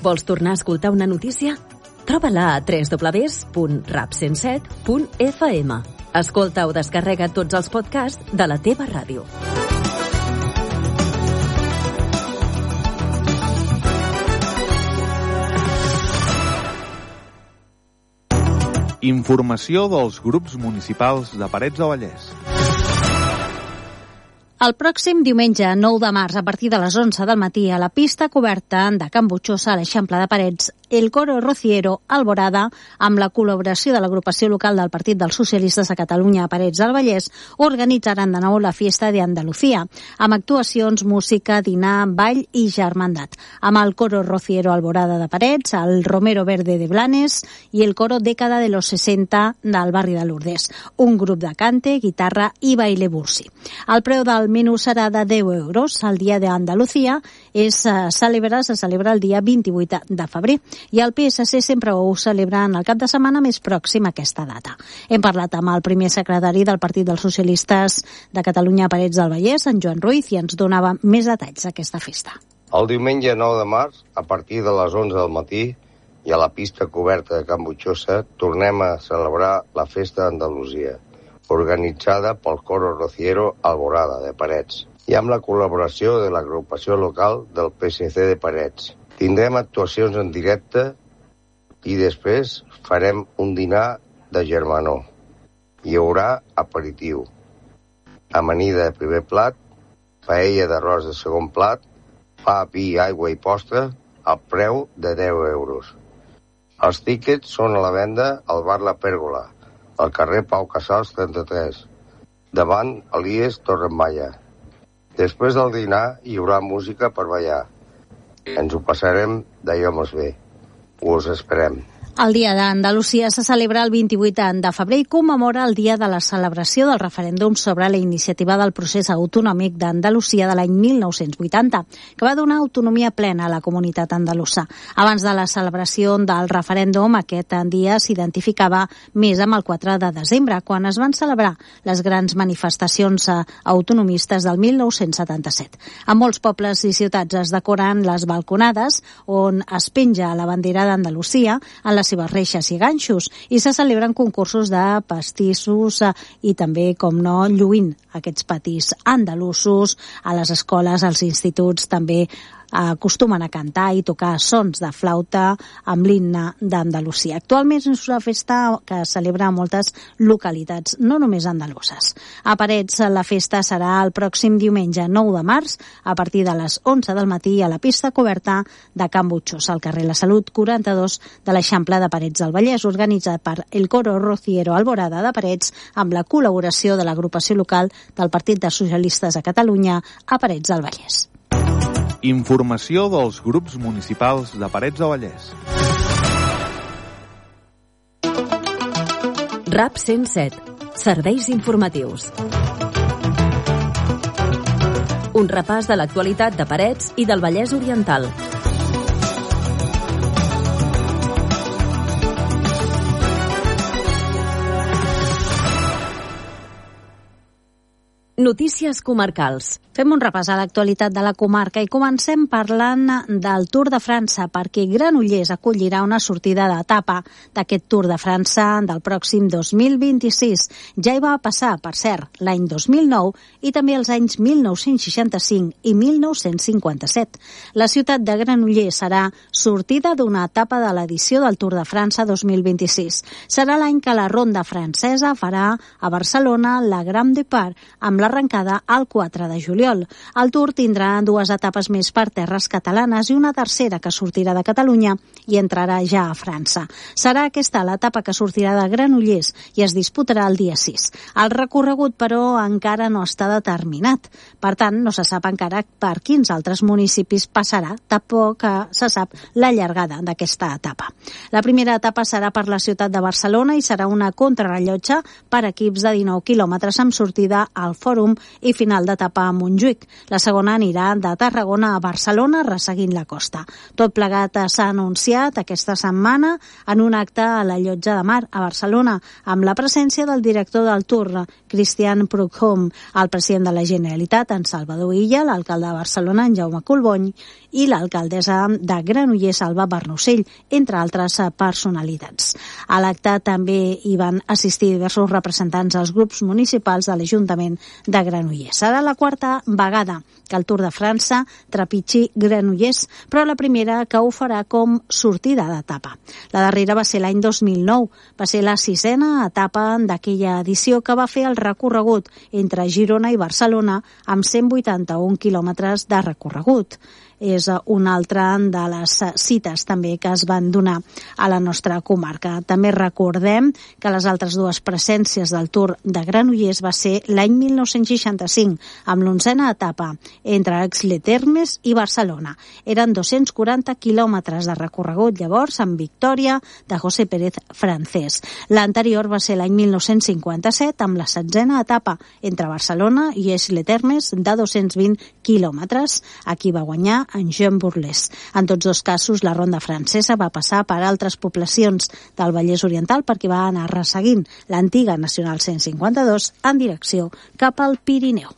Vols tornar a escoltar una notícia? Troba-la a www.rap107.fm. Escolta o descarrega tots els podcasts de la teva ràdio. Informació dels grups municipals de Parets del Vallès. El pròxim diumenge 9 de març, a partir de les 11 del matí, a la pista coberta de Can Butxosa, a l'Eixample de Parets, el coro Rociero Alborada, amb la col·laboració de l'agrupació local del Partit dels Socialistes de Catalunya a Parets del Vallès, organitzaran de nou la Fiesta de Andalucía, amb actuacions, música, dinar, ball i germandat, amb el coro Rociero Alborada de Parets, el Romero Verde de Blanes i el coro Dècada de los 60 del barri de Lourdes, un grup de cante, guitarra i baile bursi. El preu del menú serà de 10 euros. El dia d'Andalucía se celebra el dia 28 de febrer i el PSC sempre ho celebra en el cap de setmana més pròxim a aquesta data. Hem parlat amb el primer secretari del Partit dels Socialistes de Catalunya a Parets del Vallès, en Joan Ruiz, i ens donava més detalls d'aquesta festa. El diumenge 9 de març, a partir de les 11 del matí, i a la pista coberta de Can Butxosa, tornem a celebrar la Festa d'Andalusia, organitzada pel coro Rociero Alborada de Parets i amb la col·laboració de l'agrupació local del PSC de Parets. Tindrem actuacions en directe i després farem un dinar de germanor. Hi haurà aperitiu, amanida de primer plat, paella d'arròs de segon plat, pa, vi, aigua i postre al preu de 10 euros. Els tíquets són a la venda al bar La Pèrgola, al carrer Pau Casals 33, davant Elies Torremalla. Després del dinar hi haurà música per ballar. Ens ho passarem d'allò més bé. Us esperem. El Dia d'Andalusia se celebra el 28 de febrer i commemora el dia de la celebració del referèndum sobre la iniciativa del procés autonòmic d'Andalusia de l'any 1980, que va donar autonomia plena a la comunitat andalusa. Abans de la celebració del referèndum, aquest dia s'identificava més amb el 4 de desembre, quan es van celebrar les grans manifestacions autonomistes del 1977. A molts pobles i ciutats es decoren les balconades on es penja la bandera d'Andalusia en les seves reixes i ganxos, i se celebren concursos de pastissos i també, com no, lluint aquests patis andalusos. A les escoles, als instituts també acostumen a cantar i tocar sons de flauta amb l'himne d'Andalusia. Actualment és una festa que es celebra a moltes localitats, no només andaluses. A Parets la festa serà el pròxim diumenge 9 de març a partir de les 11 del matí a la pista coberta de Can Butxosa, al carrer La Salut 42 de l'Eixample de Parets del Vallès, organitzat per el coro Rociero Alborada de Parets amb la col·laboració de l'agrupació local del Partit dels Socialistes de Catalunya a Parets del Vallès. Informació dels grups municipals de Parets del Vallès. RAP 107. Serveis informatius. Un repàs de l'actualitat de Parets i del Vallès Oriental. Notícies comarcals. Fem un repàs a l'actualitat de la comarca i comencem parlant del Tour de França, perquè Granollers acollirà una sortida d'etapa d'aquest Tour de França del pròxim 2026. Ja hi va passar, per cert, l'any 2009 i també els anys 1965 i 1957. La ciutat de Granollers serà sortida d'una etapa de l'edició del Tour de França 2026. Serà l'any que la ronda francesa farà a Barcelona la Grand Depart, amb l'arrencada el 4 de juliol. El Tour tindrà dues etapes més per terres catalanes i una tercera que sortirà de Catalunya i entrarà ja a França. Serà aquesta l'etapa que sortirà de Granollers i es disputarà el dia 6. El recorregut, però, encara no està determinat. Per tant, no se sap encara per quins altres municipis passarà, tampoc se sap la llargada d'aquesta etapa. La primera etapa serà per la ciutat de Barcelona i serà una contrarellotge per equips de 19 quilòmetres amb sortida al Fòrum i final d'etapa a Montjuïc. La segona anirà de Tarragona a Barcelona, resseguint la costa. Tot plegat s'ha anunciat aquesta setmana en un acte a la Llotja de Mar a Barcelona, amb la presència del director del Tour, Christian Prudhomme, el president de la Generalitat, en Salvador Illa, l'alcalde de Barcelona, en Jaume Collbony, i l'alcaldessa de Granollers, Alba Bernocell, entre altres personalitats. A l'acte també hi van assistir diversos representants dels grups municipals de l'Ajuntament de Granollers. Serà la quarta vegada que el Tour de França trepitgi Granollers, però la primera que ho farà com sortida d'etapa. La darrera va ser l'any 2009, va ser la 6a etapa d'aquella edició que va fer el recorregut entre Girona i Barcelona amb 181 quilòmetres de recorregut. És una altra de les cites també que es van donar a la nostra comarca. També recordem que les altres dues presències del Tour de Granollers va ser l'any 1965, amb l'11a etapa entre Aix-les-Thermes i Barcelona. Eren 240 quilòmetres de recorregut llavors amb victòria de José Pérez Francés. L'anterior va ser l'any 1957 amb la 16a etapa entre Barcelona i Aix-les-Thermes de 220 quilòmetres. Aquí va guanyar en Jean Bourles. En tots dos casos, la ronda francesa va passar per altres poblacions del Vallès Oriental perquè va anar resseguint l'antiga Nacional 152 en direcció cap al Pirineu.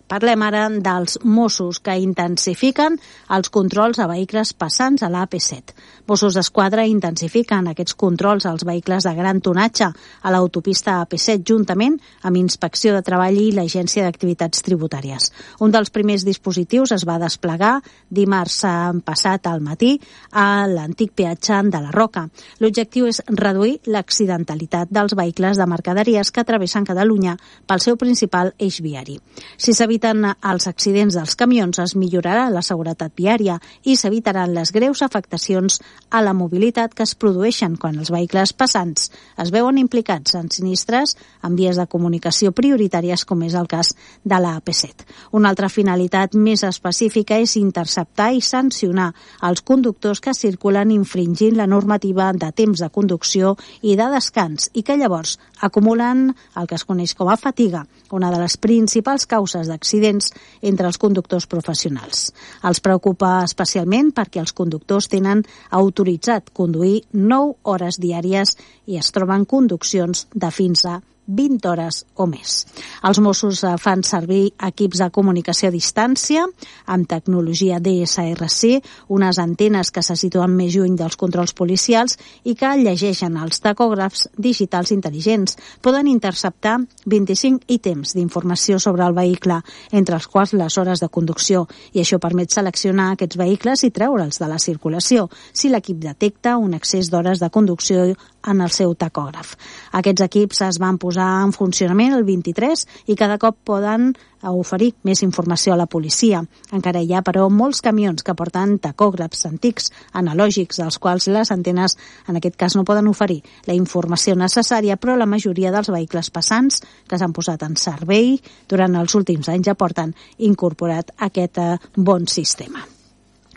Parlem ara dels Mossos que intensifiquen els controls a vehicles passants a l'AP7. Mossos d'Esquadra intensifiquen aquests controls als vehicles de gran tonatge a l'autopista AP7 juntament amb Inspecció de Treball i l'Agència d'Activitats Tributàries. Un dels primers dispositius es va desplegar dimarts passat al matí a l'antic peatge de la Roca. L'objectiu és reduir l'accidentalitat dels vehicles de mercaderies que travessen Catalunya pel seu principal eix viari. Si s'eviten els accidents dels camions, es millorarà la seguretat viària i s'evitaran les greus afectacions a la mobilitat que es produeixen quan els vehicles passants es veuen implicats en sinistres en vies de comunicació prioritàries, com és el cas de la AP7. Una altra finalitat més específica és interceptar i sancionar els conductors que circulen infringint la normativa de temps de conducció i de descans i que llavors acumulen el que es coneix com a fatiga, una de les principals causes d'accidents entre els conductors professionals. Els preocupa especialment perquè els conductors tenen autoritzat conduir 9 hores diàries i es troben conduccions de fins a 20 hores o més. Els Mossos fan servir equips de comunicació a distància amb tecnologia DSRC, unes antenes que se situen més lluny dels controls policials i que llegeixen els tacògrafs digitals intel·ligents. Poden interceptar 25 ítems d'informació sobre el vehicle, entre els quals les hores de conducció, i això permet seleccionar aquests vehicles i treure'ls de la circulació si l'equip detecta un excés d'hores de conducció en el seu tacògraf. Aquests equips es van posar en funcionament el 23 i cada cop poden oferir més informació a la policia. Encara hi ha, però, molts camions que porten tacògrafs antics, analògics, dels quals les antenes, en aquest cas, no poden oferir la informació necessària, però la majoria dels vehicles passants que s'han posat en servei durant els últims anys ja porten incorporat aquest bon sistema.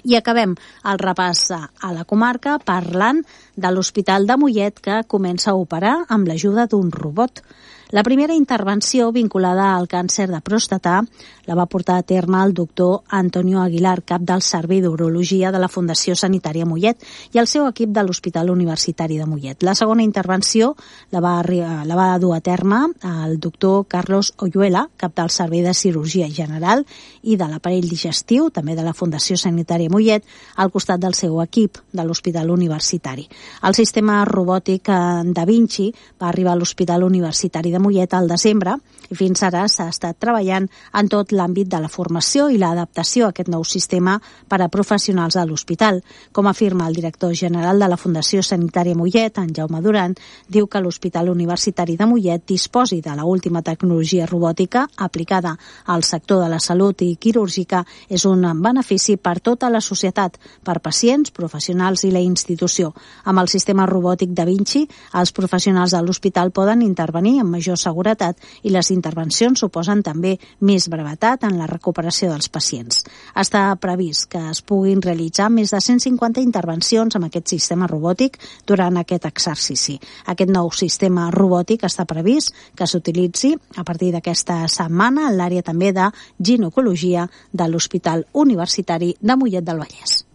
I acabem el repàs a la comarca parlant de l'Hospital de Mollet, que comença a operar amb l'ajuda d'un robot. La primera intervenció vinculada al càncer de pròstata la va portar a terme el doctor Antonio Aguilar, cap del Servei d'Urologia de la Fundació Sanitària Mollet, i el seu equip de l'Hospital Universitari de Mollet. La segona intervenció la va dur a terme el doctor Carlos Oyuela, cap del Servei de Cirurgia General i de l'Aparell Digestiu, també de la Fundació Sanitària Mollet, al costat del seu equip de l'Hospital Universitari. El sistema robòtic Da Vinci va arribar a l'Hospital Universitari de Mollet al desembre i fins ara s'ha estat treballant en tot l'àmbit de la formació i l'adaptació a aquest nou sistema per a professionals de l'hospital. Com afirma el director general de la Fundació Sanitària Mollet, en Jaume Duran, diu que l'Hospital Universitari de Mollet disposi de l'última tecnologia robòtica aplicada al sector de la salut i quirúrgica és un benefici per tota la societat, per pacients, professionals i la institució. Amb el sistema robòtic Da Vinci, els professionals de l'hospital poden intervenir amb major seguretat i les intervencions suposen també més brevetat en la recuperació dels pacients. Està previst que es puguin realitzar més de 150 intervencions amb aquest sistema robòtic durant aquest exercici. Aquest nou sistema robòtic està previst que s'utilitzi a partir d'aquesta setmana en l'àrea també de ginecologia de l'Hospital Universitari de Mollet del Vallès.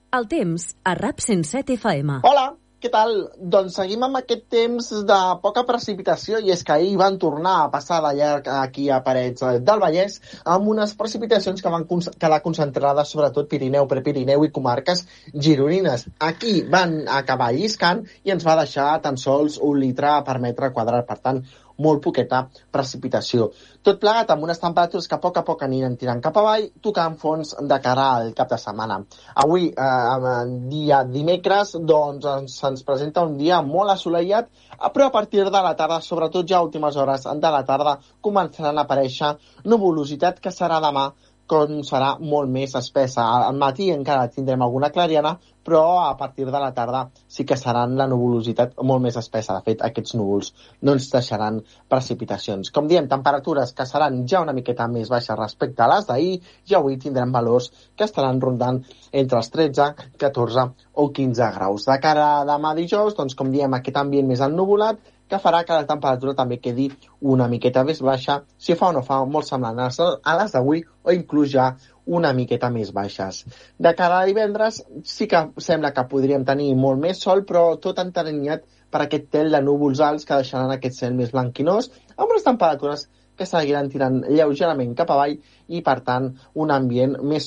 El temps a RAP 107 FM. Hola, Què tal? Doncs seguim amb aquest temps de poca precipitació i és que ahir van tornar a passar de llarg aquí a Parets del Vallès amb unes precipitacions que van quedar concentrades sobretot Pirineu, Prepirineu i comarques gironines. Aquí van acabar lliscant i ens va deixar tan sols 1 litre per metre quadrat, per tant, molt poqueta precipitació. Tot plegat amb unes temperatures que a poc aniran tirant cap avall, tocant fons de cara al cap de setmana. Avui, dia dimecres, doncs se'ns presenta un dia molt assolellat, però a partir de la tarda, sobretot ja a últimes hores de la tarda, començaran a aparèixer nuvolositat que serà demà, com serà molt més espessa. Al matí encara tindrem alguna clariana, però a partir de la tarda sí que seran la nuvolositat molt més espessa. De fet, aquests núvols no ens deixaran precipitacions. Com diem, temperatures que seran ja una miqueta més baixes respecte a les d'ahir, i avui tindrem valors que estaran rondant entre els 13, 14 o 15 graus. De cara a demà dijous, doncs, com diem, aquest ambient més ennuvolat, que farà que la temperatura també quedi una miqueta més baixa, si fa o no fa, molt semblant a les d'avui, o inclús ja una miqueta més baixes. De cara a divendres sí que sembla que podríem tenir molt més sol, però tot enteranyat per aquest tel de núvols alts que deixaran aquest cel més blanquinós, amb unes temperatures que seguiran tirant lleugerament cap avall i, per tant, un ambient més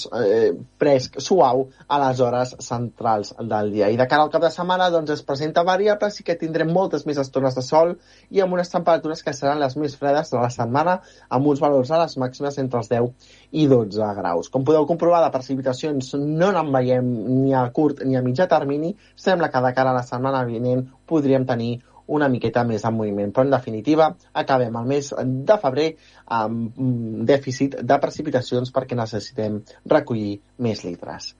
fresc, suau a les hores centrals del dia. I de cara al cap de setmana doncs, es presenta variable, sí que tindrem moltes més estones de sol i amb unes temperatures que seran les més fredes de la setmana, amb uns valors a les màximes entre els 10 i 12 graus. Com podeu comprovar, de precipitacions no en veiem ni a curt ni a mitjà termini. Sembla que de cara a la setmana vinent podríem tenir una miqueta més en moviment, però en definitiva acabem el mes de febrer amb dèficit de precipitacions perquè necessitem recollir més litres.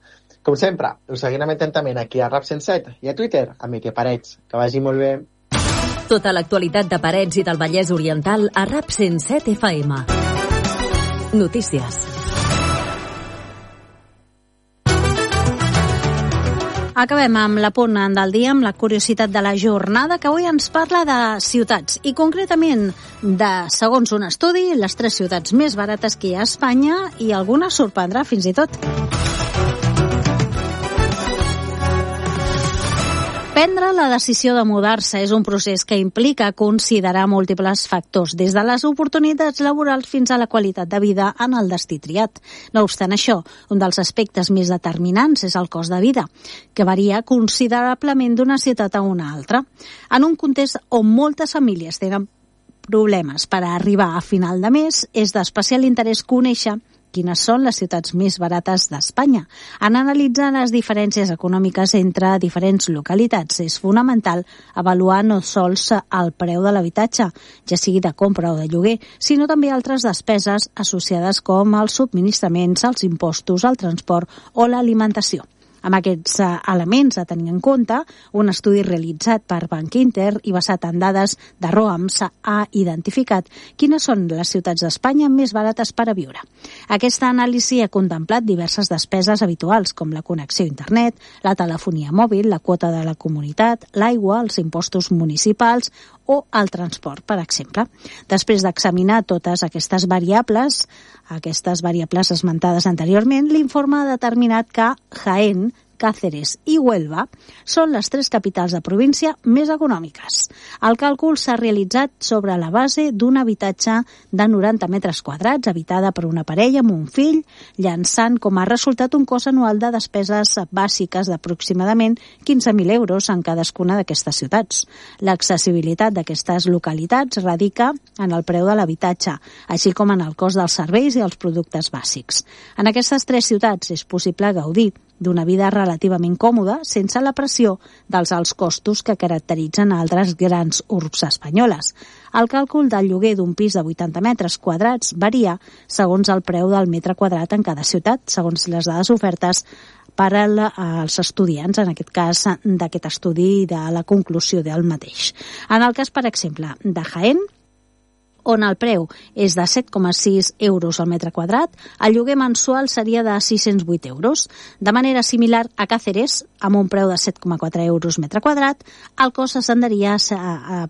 Com sempre, us seguirem atentament aquí a RAP 107 i a Twitter amb Miquel Parets. Que vagi molt bé. Tota l'actualitat de Parets i del Vallès Oriental a RAP 107 FM. Notícies. Acabem amb la punt del dia, amb la curiositat de la jornada, que avui ens parla de ciutats i concretament de, segons un estudi, les 3 ciutats més barates que hi ha a Espanya, i alguna sorprendrà fins i tot. Prendre la decisió de mudar-se és un procés que implica considerar múltiples factors, des de les oportunitats laborals fins a la qualitat de vida en el destí triat. No obstant això, un dels aspectes més determinants és el cost de vida, que varia considerablement d'una ciutat a una altra. En un context on moltes famílies tenen problemes per arribar a final de mes, és d'especial interès conèixer quines són les ciutats més barates d'Espanya. En analitzar les diferències econòmiques entre diferents localitats, és fonamental avaluar no sols el preu de l'habitatge, ja sigui de compra o de lloguer, sinó també altres despeses associades com els subministraments, els impostos, el transport o l'alimentació. Amb aquests elements a tenir en compte, un estudi realitzat per Bank Inter i basat en dades de ROAMS ha identificat quines són les ciutats d'Espanya més barates per a viure. Aquesta anàlisi ha contemplat diverses despeses habituals, com la connexió a internet, la telefonia mòbil, la quota de la comunitat, l'aigua, els impostos municipals o el transport, per exemple. Després d'examinar totes aquestes variables esmentades anteriorment, l'informe ha determinat que Jaén, Cáceres i Huelva són les 3 capitals de província més econòmiques. El càlcul s'ha realitzat sobre la base d'un habitatge de 90 metres quadrats, habitada per una parella amb un fill, llançant com a resultat un cost anual de despeses bàsiques d'aproximadament 15.000 euros en cadascuna d'aquestes ciutats. L'accessibilitat d'aquestes localitats radica en el preu de l'habitatge, així com en el cost dels serveis i els productes bàsics. En aquestes 3 ciutats és possible gaudir d'una vida relativament còmoda sense la pressió dels alts costos que caracteritzen altres grans urbs espanyoles. El càlcul del lloguer d'un pis de 80 metres quadrats varia segons el preu del metre quadrat en cada ciutat, segons les dades ofertes per als estudiants, en aquest cas d'aquest estudi de la conclusió del mateix. En el cas, per exemple, de Jaén, on el preu és de 7,6 euros al metre quadrat, el lloguer mensual seria de 608 euros. De manera similar a Cáceres, amb un preu de 7,4 euros metre quadrat, el cost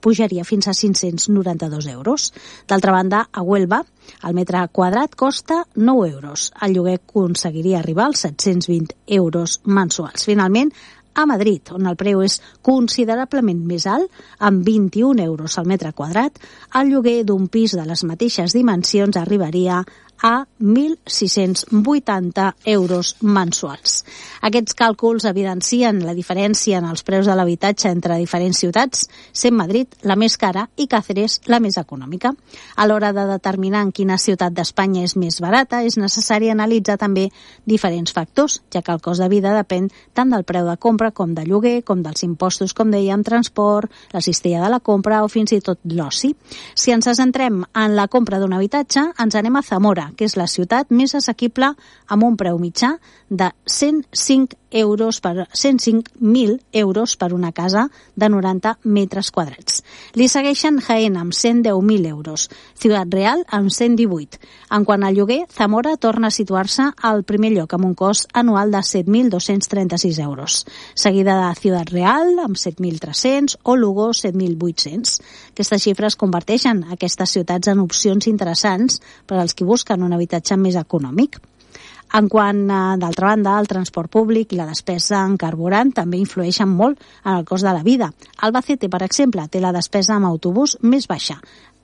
pujaria fins a 592 euros. D'altra banda, a Huelva, el metre quadrat costa 9 euros. El lloguer aconseguiria arribar als 720 euros mensuals. Finalment, a Madrid, on el preu és considerablement més alt, amb 21 euros al metre quadrat. El lloguer d'un pis de les mateixes dimensions arribaria a 1.680 euros mensuals. Aquests càlculs evidencien la diferència en els preus de l'habitatge entre diferents ciutats, sent Madrid la més cara i Càceres la més econòmica. A l'hora de determinar en quina ciutat d'Espanya és més barata, és necessari analitzar també diferents factors, ja que el cost de vida depèn tant del preu de compra com de lloguer, com dels impostos, com dèiem, transport, la cistella de la compra o fins i tot l'oci. Si ens centrem en la compra d'un habitatge, ens anem a Zamora, que és la ciutat més assequible amb un preu mitjà de 105.000 euros per una casa de 90 metres quadrats. Li segueixen Jaén amb 110.000 euros, Ciutat Real amb 118. En quant al lloguer, Zamora torna a situar-se al primer lloc amb un cost anual de 7.236 euros, seguida de Ciutat Real amb 7.300 o Lugo 7.800. Aquestes xifres converteixen aquestes ciutats en opcions interessants per als qui busquen un habitatge més econòmic. En quant, d'altra banda, el transport públic i la despesa en carburant també influeixen molt en el cost de la vida. Albacete, per exemple, té la despesa amb autobús més baixa,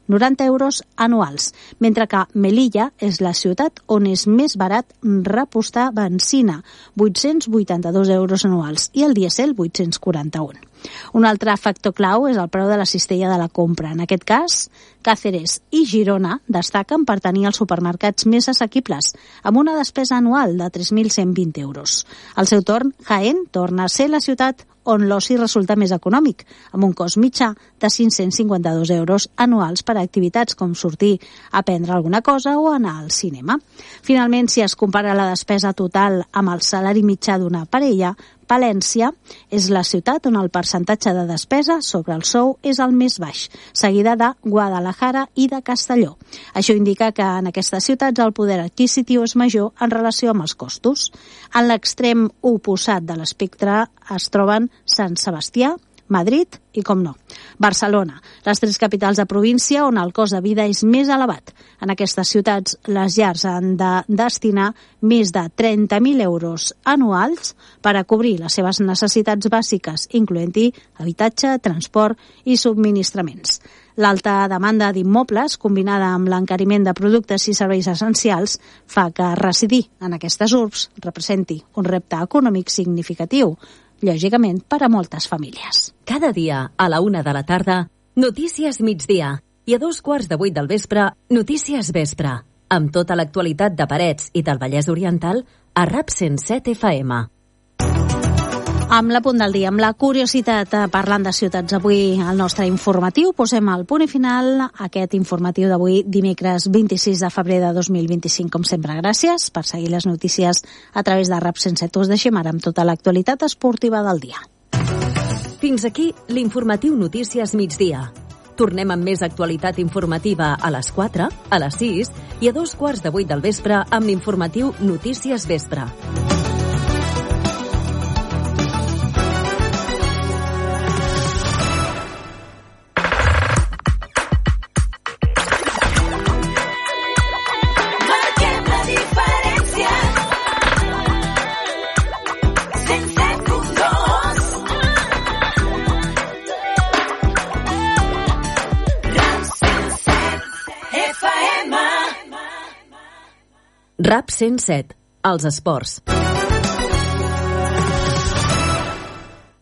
90 euros anuals, mentre que Melilla és la ciutat on és més barat repostar benzina, 882 euros anuals, i el dièsel 841. Un altre factor clau és el preu de la cistella de la compra. En aquest cas, Càceres i Girona destaquen per tenir els supermercats més assequibles, amb una despesa anual de 3.120 euros. Al seu torn, Jaén torna a ser la ciutat on l'oci resulta més econòmic, amb un cost mitjà de 552 euros anuals per a activitats com sortir a prendre alguna cosa o anar al cinema. Finalment, si es compara la despesa total amb el salari mitjà d'una parella, Palència és la ciutat on el percentatge de despesa sobre el sou és el més baix, seguida de Guadalajara i de Castelló. Això indica que en aquestes ciutats el poder adquisitiu és major en relació amb els costos. En l'extrem oposat de l'espectre es troben Sant Sebastià, Madrid i, com no, Barcelona, les tres capitals de província on el cost de vida és més elevat. En aquestes ciutats, les llars han de destinar més de 30.000 euros anuals per a cobrir les seves necessitats bàsiques, incloent-hi habitatge, transport i subministraments. L'alta demanda d'immobles, combinada amb l'encariment de productes i serveis essencials, fa que residir en aquestes urbs representi un repte econòmic significatiu, lògicament per a moltes famílies. Cada dia, a la 1 de la tarda, Notícies Migdia. I a 2:15 del vespre, Notícies Vespre. Amb tota l'actualitat de Parets i del Vallès Oriental a RAP 107 FM. Amb la punt del dia, amb la curiositat parlant de ciutats avui al nostre informatiu, posem el punt i final a aquest informatiu d'avui, dimecres 26 de febrer de 2025. Com sempre, gràcies per seguir les notícies a través de RAP 107. Us deixem ara amb tota l'actualitat esportiva del dia. Fins aquí l'informatiu Notícies Migdia. Tornem amb més actualitat informativa a les 4, a les 6 i a 2:15 del vespre amb l'informatiu Notícies Vespre. RAP 107, els esports.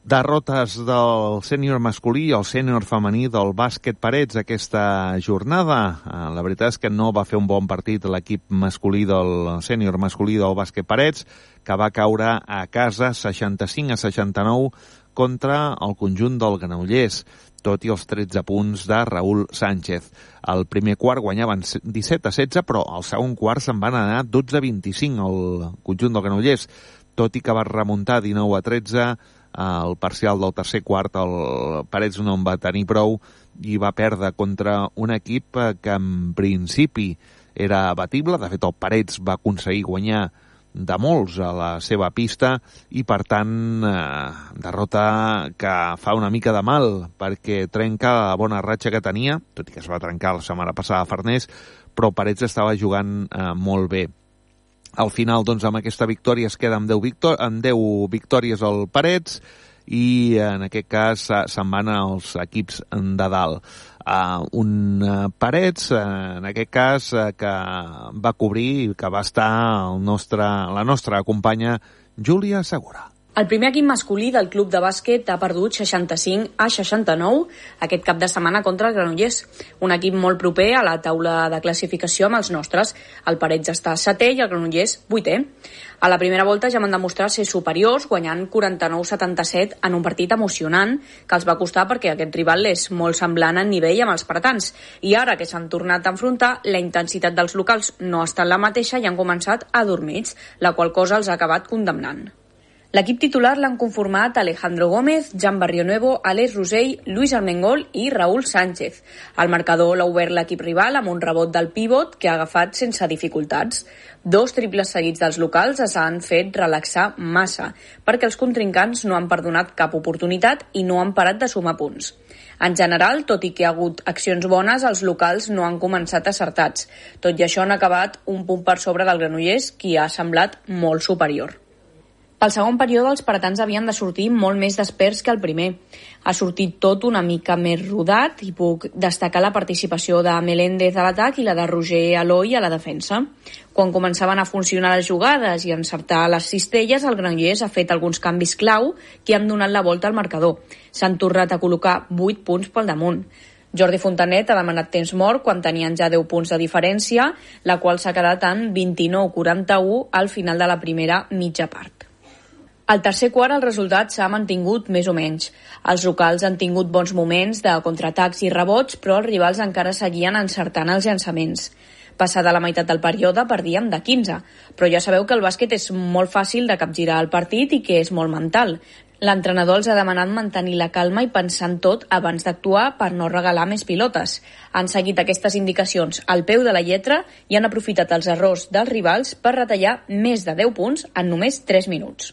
Derrotes del sènior masculí i el sènior femení del bàsquet Parets aquesta jornada. La veritat és que no va fer un bon partit l'equip masculí del sènior masculí del bàsquet Parets, que va caure a casa 65-69 contra el conjunt del Granollers, tot i els 13 punts de Raúl Sánchez. Al primer quart guanyaven 17-16, però al segon quart se'n van anar 12-25 al conjunt del Granollers, tot i que va remuntar 19-13 al parcial del tercer quart. El Parets no en va tenir prou i va perdre contra un equip que en principi era abatible. De fet, el Parets va aconseguir guanyar de molts a la seva pista i, per tant, derrota que fa una mica de mal perquè trenca la bona ratxa que tenia, tot i que es va trencar la setmana passada a Farners, però Parets estava jugant molt bé. Al final, doncs, amb aquesta victòria es queda amb 10 victòries al Parets i en aquest cas se'n van els equips de dalt. Un Parets, en aquest cas, que va cobrir, que va estar la nostra companya Júlia Segura. El primer equip masculí del club de bàsquet ha perdut 65-69 aquest cap de setmana contra el Granollers, un equip molt proper a la taula de classificació amb els nostres. El Parets està setè i el Granollers vuitè. A la primera volta ja van demostrar ser superiors, guanyant 49-77 en un partit emocionant que els va costar perquè aquest rival és molt semblant en nivell amb els paratans. I ara que s'han tornat a enfrontar, la intensitat dels locals no ha estat la mateixa i han començat adormits, la qual cosa els ha acabat condemnant. L'equip titular l'han conformat Alejandro Gómez, Jan Barrionuevo, Alex Rosell, Luis Armengol i Raúl Sánchez. El marcador l'ha obert l'equip rival amb un rebot del pivot que ha agafat sense dificultats. 2 triples seguits dels locals es han fet relaxar massa, perquè els contrincants no han perdonat cap oportunitat i no han parat de sumar punts. En general, tot i que hi ha hagut accions bones, els locals no han començat acertats. Tot i això han acabat un punt per sobre del Granollers, qui ha semblat molt superior. Pel segon període, els paratans havien de sortir molt més desperts que el primer. Ha sortit tot una mica més rodat i puc destacar la participació de Meléndez a l'atac i la de Roger Aloy a la defensa. Quan començaven a funcionar les jugades i encertar les cistelles, el Granollers ha fet alguns canvis clau que han donat la volta al marcador. S'han tornat a col·locar 8 punts pel damunt. Jordi Fontanet ha demanat temps mort quan tenien ja 10 punts de diferència, la qual s'ha quedat en 29-41 al final de la primera mitja part. Al tercer quart el resultat s'ha mantingut més o menys. Els locals han tingut bons moments de contraatacs i rebots, però els rivals encara seguien encertant els llançaments. Passada la meitat del període perdíem de 15, però ja sabeu que el bàsquet és molt fàcil de capgirar el partit i que és molt mental. L'entrenador els ha demanat mantenir la calma i pensar en tot abans d'actuar per no regalar més pilotes. Han seguit aquestes indicacions al peu de la lletra i han aprofitat els errors dels rivals per retallar més de 10 punts en només 3 minuts.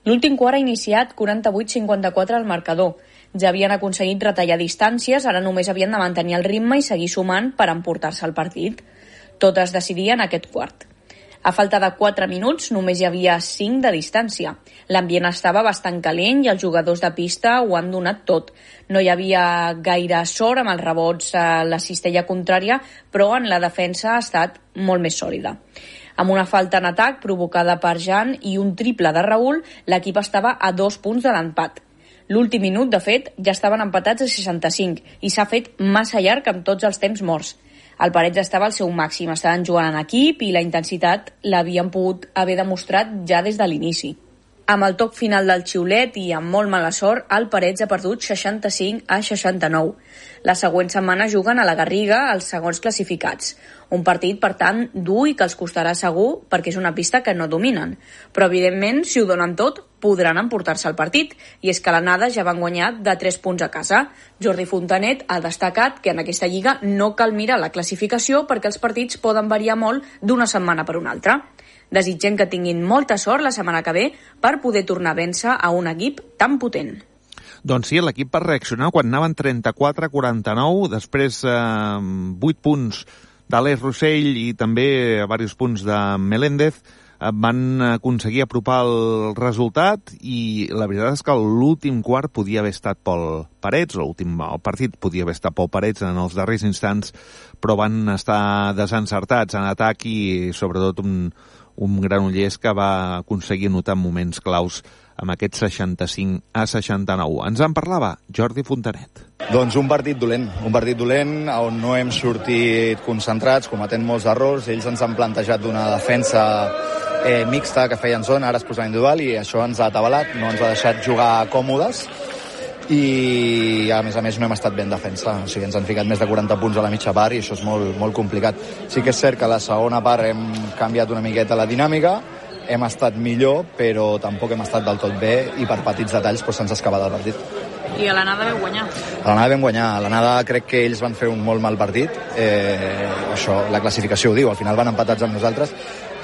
L'últim quart ha iniciat 48-54 al marcador. Ja havien aconseguit retallar distàncies, ara només havien de mantenir el ritme i seguir sumant per emportar-se el partit. Tot es decidia en aquest quart. A falta de 4 minuts només hi havia 5 de distància. L'ambient estava bastant calent i els jugadors de pista ho han donat tot. No hi havia gaire sort amb els rebots a la cistella contrària, però en la defensa ha estat molt més sòlida. Amb una falta en atac provocada per Jan i un triple de Raúl, l'equip estava a 2 punts de l'empat. L'últim minut, de fet, ja estaven empatats a 65 i s'ha fet massa llarg amb tots els temps morts. El Parets estava al seu màxim, estaven jugant en equip i la intensitat l'havien pogut haver demostrat ja des de l'inici. Amb el toc final del xiulet i amb molt mala sort, el Parets ha perdut 65-69. La següent setmana juguen a la Garriga els segons classificats. Un partit, per tant, dur i que els costarà segur perquè és una pista que no dominen. Però, evidentment, si ho donen tot, podran emportar-se el partit. I és que l'anada ja van guanyar de 3 punts a casa. Jordi Fontanet ha destacat que en aquesta lliga no cal mirar la classificació perquè els partits poden variar molt d'una setmana per una altra. Desitgem que tinguin molta sort la setmana que ve per poder tornar a vèncer a un equip tan potent. Doncs sí, l'equip va reaccionar quan anaven 34-49, després 8 punts d'Àlex Rosell i també diversos punts de Meléndez van aconseguir apropar el resultat i la veritat és que l'últim quart podia haver estat pel Parets, el partit podia haver estat pel Parets en els darrers instants, però van estar desencertats en atac i sobretot un Granollers que va aconseguir anotar moments claus amb aquest 65-69. Ens en parlava Jordi Fontanet. Doncs un partit dolent on no hem sortit concentrats, cometent molts errors. Ells ens han plantejat d'una defensa mixta que feien zona, ara es posen individual i això ens ha atabalat, no ens ha deixat jugar còmodes i a més no hem estat bé en defensa, o sigui, ens han ficat més de 40 punts a la mitja part i això és molt, molt complicat. Sí que és cert que a la segona part hem canviat una miqueta la dinàmica, hem estat millor però tampoc hem estat del tot bé i per petits detalls doncs, se'ns ha escapat el partit. I a l'anada vau guanyar? A l'anada vam guanyar. A l'anada crec que ells van fer un molt mal partit. Això, la classificació ho diu. Al final van empatats amb nosaltres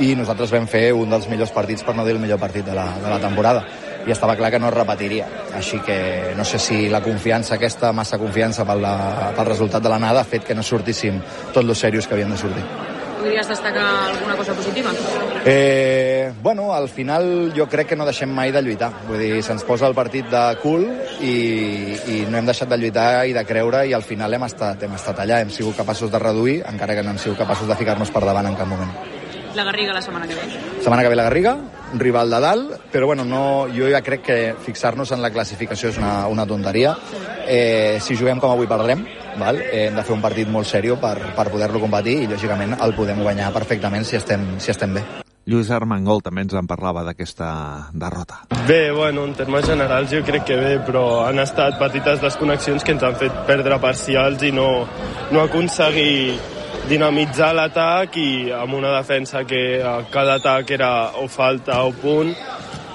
i nosaltres vam fer un dels millors partits, per no dir el millor partit de la temporada. I estava clar que no es repetiria. Així que no sé si la confiança aquesta, massa confiança pel resultat de l'anada, ha fet que no sortíssim tot lo serios que havien de sortir. podries destacar alguna cosa positiva? Bueno, al final jo crec que no deixem mai de lluitar. Vull dir, se'ns posa el partit de cul i no hem deixat de lluitar i de creure, i al final hem estat allà, hem sigut capaços de reduir, encara que no hem sigut capaços de ficar-nos per davant en cap moment. La Garriga la setmana que ve. Setmana que ve la Garriga, un rival de dalt, però bueno, jo ja crec que fixar-nos en la classificació és una tonteria. Si juguem com avui perdrem, hem de fer un partit molt seriós per poder-lo competir i lògicament el podem guanyar perfectament si estem bé. Lluís Armengol també ens en parlava d'aquesta derrota. Bé, bueno, en termes generals jo crec que bé, però han estat petites desconnexions que ens han fet perdre parcials i no aconseguir dinamitzar l'atac, i amb una defensa que a cada atac era o falta o punt,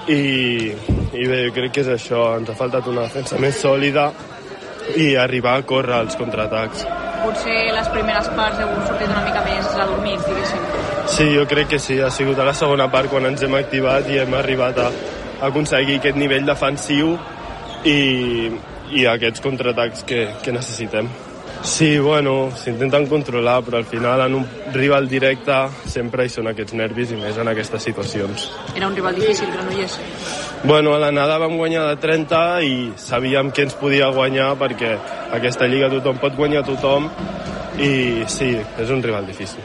i bé, jo crec que és això, ens ha faltat una defensa més sòlida i arribar a córrer els contraatacs. Potser les primeres parts heu sortit una mica més adormits, diguéssim. Sí, jo crec que sí, ha sigut a la segona part quan ens hem activat i hem arribat a aconseguir aquest nivell defensiu i aquests contraatacs que necessitem. Sí, bueno, s'intenten controlar, però al final en un rival directe sempre hi són aquests nervis, i més en aquestes situacions. Era un rival difícil, Granollers? Bueno, a l'anada vam guanyar de 30 i sabíem que ens podia guanyar, perquè aquesta lliga tothom pot guanyar tothom, i sí, és un rival difícil.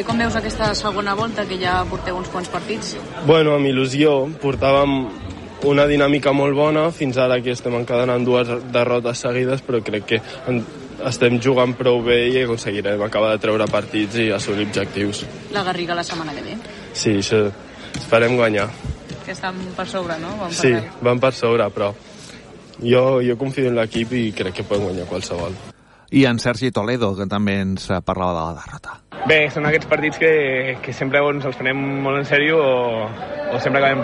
Com veus aquesta segona volta, que ja porteu uns quants partits? Bueno, amb il·lusió, portàvem una dinàmica molt bona, fins ara que estem encadenant 2 derrotes seguides, però crec que estem jugant prou bé i aconseguirem acabar de treure partits i assolir objectius. La Garriga la setmana que ve? Sí, això esperem guanyar. Que estan per sobre, no? Sí, van per sobre, però jo confio en l'equip i crec que poden guanyar qualsevol. I en Sergi Toledo, que també ens parlava de la derrota. Bé, són aquests partits que sempre ens els prenem molt en sèrio o sempre acabem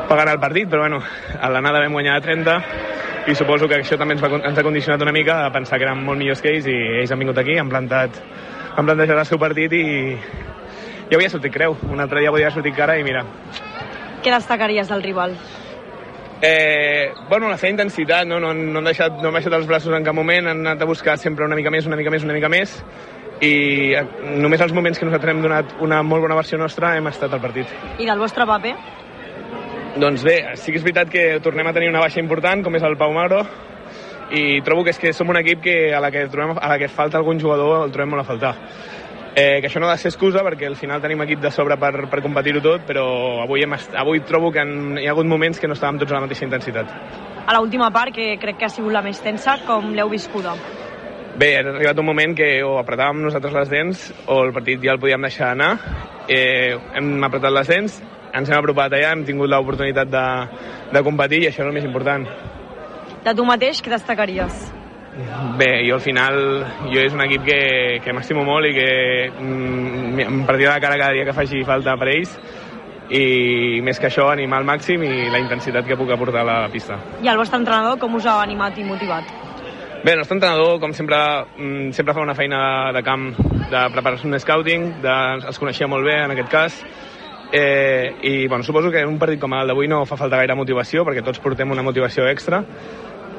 pagant el partit, però bueno, a l'anada vam guanyar de 30 i suposo que això també ens ha condicionat una mica a pensar que érem molt millors que ells, i ells han vingut aquí, han plantejat el seu partit i ja havia sortit creu. Un altre dia podia sortir cara i mira. Què destacaries del rival? Bueno, la seva intensitat, no han baixat els braços en cap moment, han anat a buscar sempre una mica més, i només els moments que nosaltres hem donat una molt bona versió nostra hem estat al partit. I del vostre paper? Doncs bé, sí que és veritat que tornem a tenir una baixa important, com és el Pau Magro, i trobo que som un equip que a la que falta algun jugador el trobem molt a faltar. Que això no ha de ser excusa, perquè al final tenim equip de sobre per competir-ho tot, però avui trobo que hi ha hagut moments que no estàvem tots a la mateixa intensitat. A l'última part, que crec que ha sigut la més tensa, com l'heu viscuda? Bé, ha arribat un moment que o apretàvem nosaltres les dents o el partit ja el podíem deixar anar. Hem apretat les dents, ens hem apropat allà, hem tingut l'oportunitat de competir, i això és el més important. De tu mateix, què destacaries? Bé, jo al final és un equip que m'estimo molt i que em partirà de cara cada dia que faci falta per ells, i més que això, animar al màxim i la intensitat que puc aportar a la pista. I el vostre entrenador com us ha animat i motivat? Bé, el nostre entrenador, com sempre fa una feina de camp de preparació de scouting, els coneixia molt bé en aquest cas, i bueno, suposo que un partit com el d'avui no fa falta gaire motivació, perquè tots portem una motivació extra,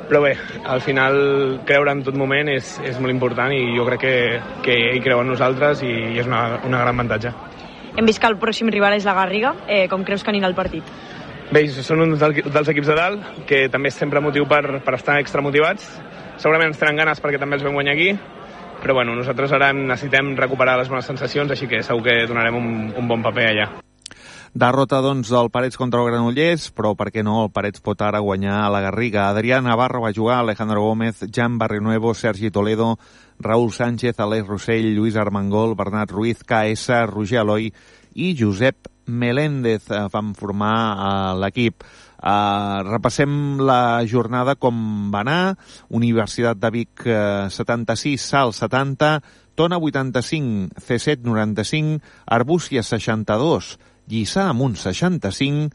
però bé, al final creure en tot moment és molt important, i jo crec que ell creu en nosaltres i és una gran avantatge. Hem vist que el pròxim rival és la Garriga. Com creus que anirà el partit? Bé, són uns dels equips de dalt, que també és sempre motiu per estar extra motivats. Segurament ens tenen ganes perquè també els vam guanyar aquí, però bueno, nosaltres ara necessitem recuperar les bones sensacions, així que segur que donarem un bon paper allà. Derrota, doncs, del Parets contra el Granollers, però per què no, el Parets pot ara guanyar a la Garriga. Adrià Navarro va jugar, Alejandro Gómez, Jan Barrionuevo, Sergi Toledo, Raúl Sánchez, Aleix Rossell, Lluís Armengol, Bernat Ruiz, KS, Roger Eloi i Josep Meléndez van formar l'equip. Repassem la jornada com va anar. Universitat de Vic 76, Salt 70, Tona 85, C7 95, Arbúcies 62, Lliçà Amunt 65,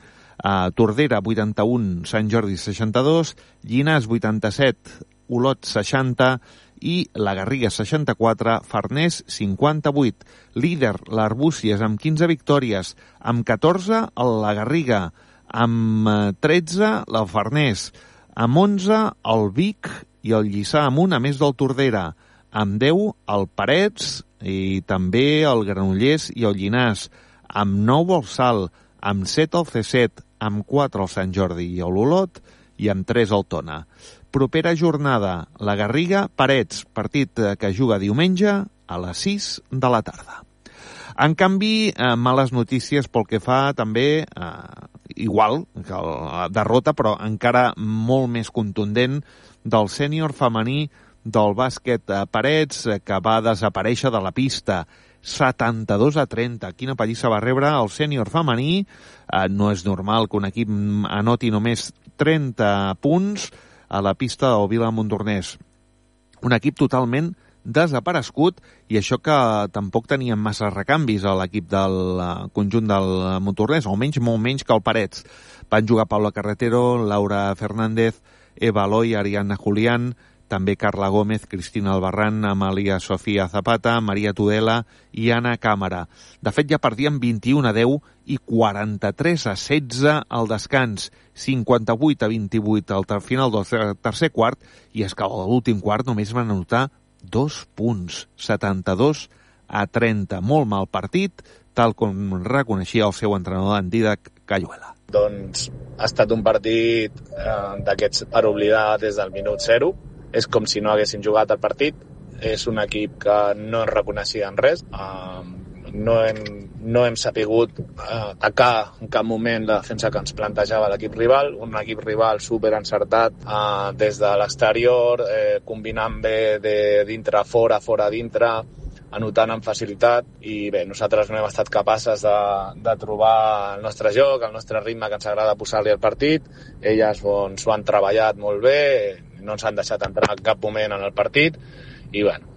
Tordera 81, Sant Jordi 62, Llinars 87, Olot 60 i la Garriga 64, Farners 58. Líder l'Arbúcies amb 15 victòries, amb 14 la Garriga, amb 13 la Farners, amb 11 el Vic i el Lliçà Amunt, a més del Tordera, amb 10 el Parets i també el Granollers i el Llinàs, amb 9 el Salt, amb 7 el C7, amb 4 el Sant Jordi i l'Olot i amb 3 el Tona. Propera jornada, la Garriga, Parets, partit que juga diumenge a les 6 de la tarda. En canvi, males notícies pel que fa també, igual que la derrota, però encara molt més contundent, del sènior femení del bàsquet Parets, que va desaparèixer de la pista 72-30. Quina pallissa va rebre el sènior femení. No és normal que un equip anoti només 30 punts a la pista del Vila Montornès. Un equip totalment desaparegut, i això que tampoc tenien massa recanvis a l'equip del conjunt del Montornès, almenys molt menys que el Parets. Van jugar Paula Carretero, Laura Fernández, Eva Aloy, Ariadna Julián, també Carla Gómez, Cristina Albarrán, Amalia Sofía Zapata, Maria Tudela i Anna Càmera. De fet, ja perdien 21-10 i 43-16 al descans, 58-28 al final del tercer quart, i és que a l'últim quart només van anotar 2 punts, 72-30. Molt mal partit, tal com reconeixia el seu entrenador, en Didac Cayuela. Doncs ha estat un partit d'aquests per oblidar des del minut 0. És com si no haguessin jugat el partit. És un equip que no ens reconeixia en res. No hem sapigut atacar en cap moment la defensa que ens plantejava l'equip rival. Un equip rival superencertat des de l'exterior, combinant bé de dintre a fora, fora a dintre, anotant amb facilitat, i bé, nosaltres no hem estat capaces de trobar el nostre joc, el nostre ritme que ens agrada posar-li al partit. Elles s'ho han treballat molt bé, no ens han deixat entrar en cap moment en el partit, i bueno,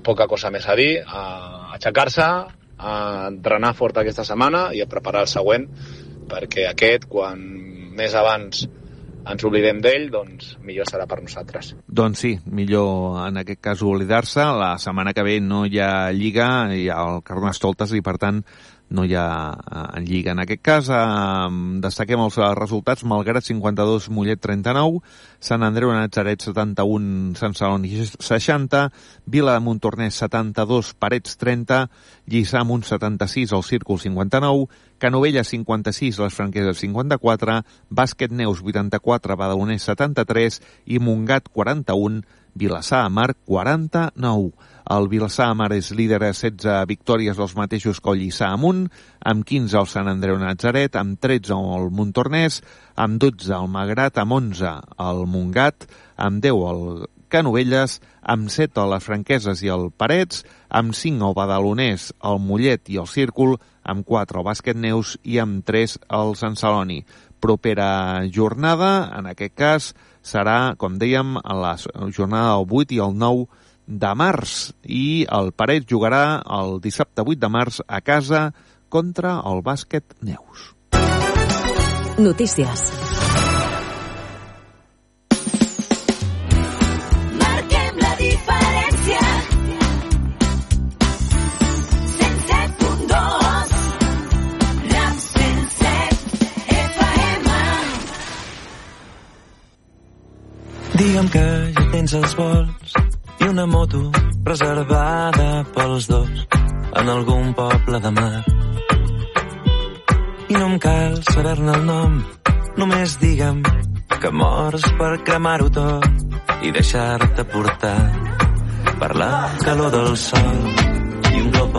poca cosa més a dir, a aixecar-se, a entrenar fort aquesta setmana i a preparar el següent, perquè aquest, quan més abans ens oblidem d'ell, doncs millor serà per nosaltres. Doncs sí, millor en aquest cas oblidar-se. La setmana que ve no hi ha Lliga, hi ha el Carnestoltes, i per tant no hi ha Lliga. En aquest cas destaquem els resultats: Malgrat 52, Mollet 39, Sant Andreu Natzaret 71, Sant Celoni 60, Vila de Montornès 72, Parets 30, Lliçà Amunt 76, el Círcul 59, Canovelles 56, les Franqueses 54, Bàsquet Neus 84, Badalonès 73 i Montgat 41, Vilassar de Mar 49. El Vilassar de Mar és líder a 16 victòries, els mateixos que el Lliçà Amunt, amb 15 el Sant Andreu Natzaret, amb 13 el Montornès, amb 12 el Malgrat, amb 11 el Montgat, amb 10 el Canovelles, amb 7 les Franqueses i el Parets, amb 5 el Badalonès, el Mollet i el Círcul, amb 4 el Bàsquet Neus i amb 3 el Sant Celoni. Propera jornada, en aquest cas, serà, com dèiem, a la jornada del 8 i el 9 de març, i el Parets jugarà el dissabte 8 de març a casa contra el Bàsquet Neus. Notícies. Marquem la diferència. 107.2 RAP 107 FM. Digue'm que ja tens els vols i una moto reservada pels dos en algun poble de mar. I no em cal saber-ne el nom, només digue'm que mors per cremar-ho tot i deixar-te portar per la calor del sol i un cop al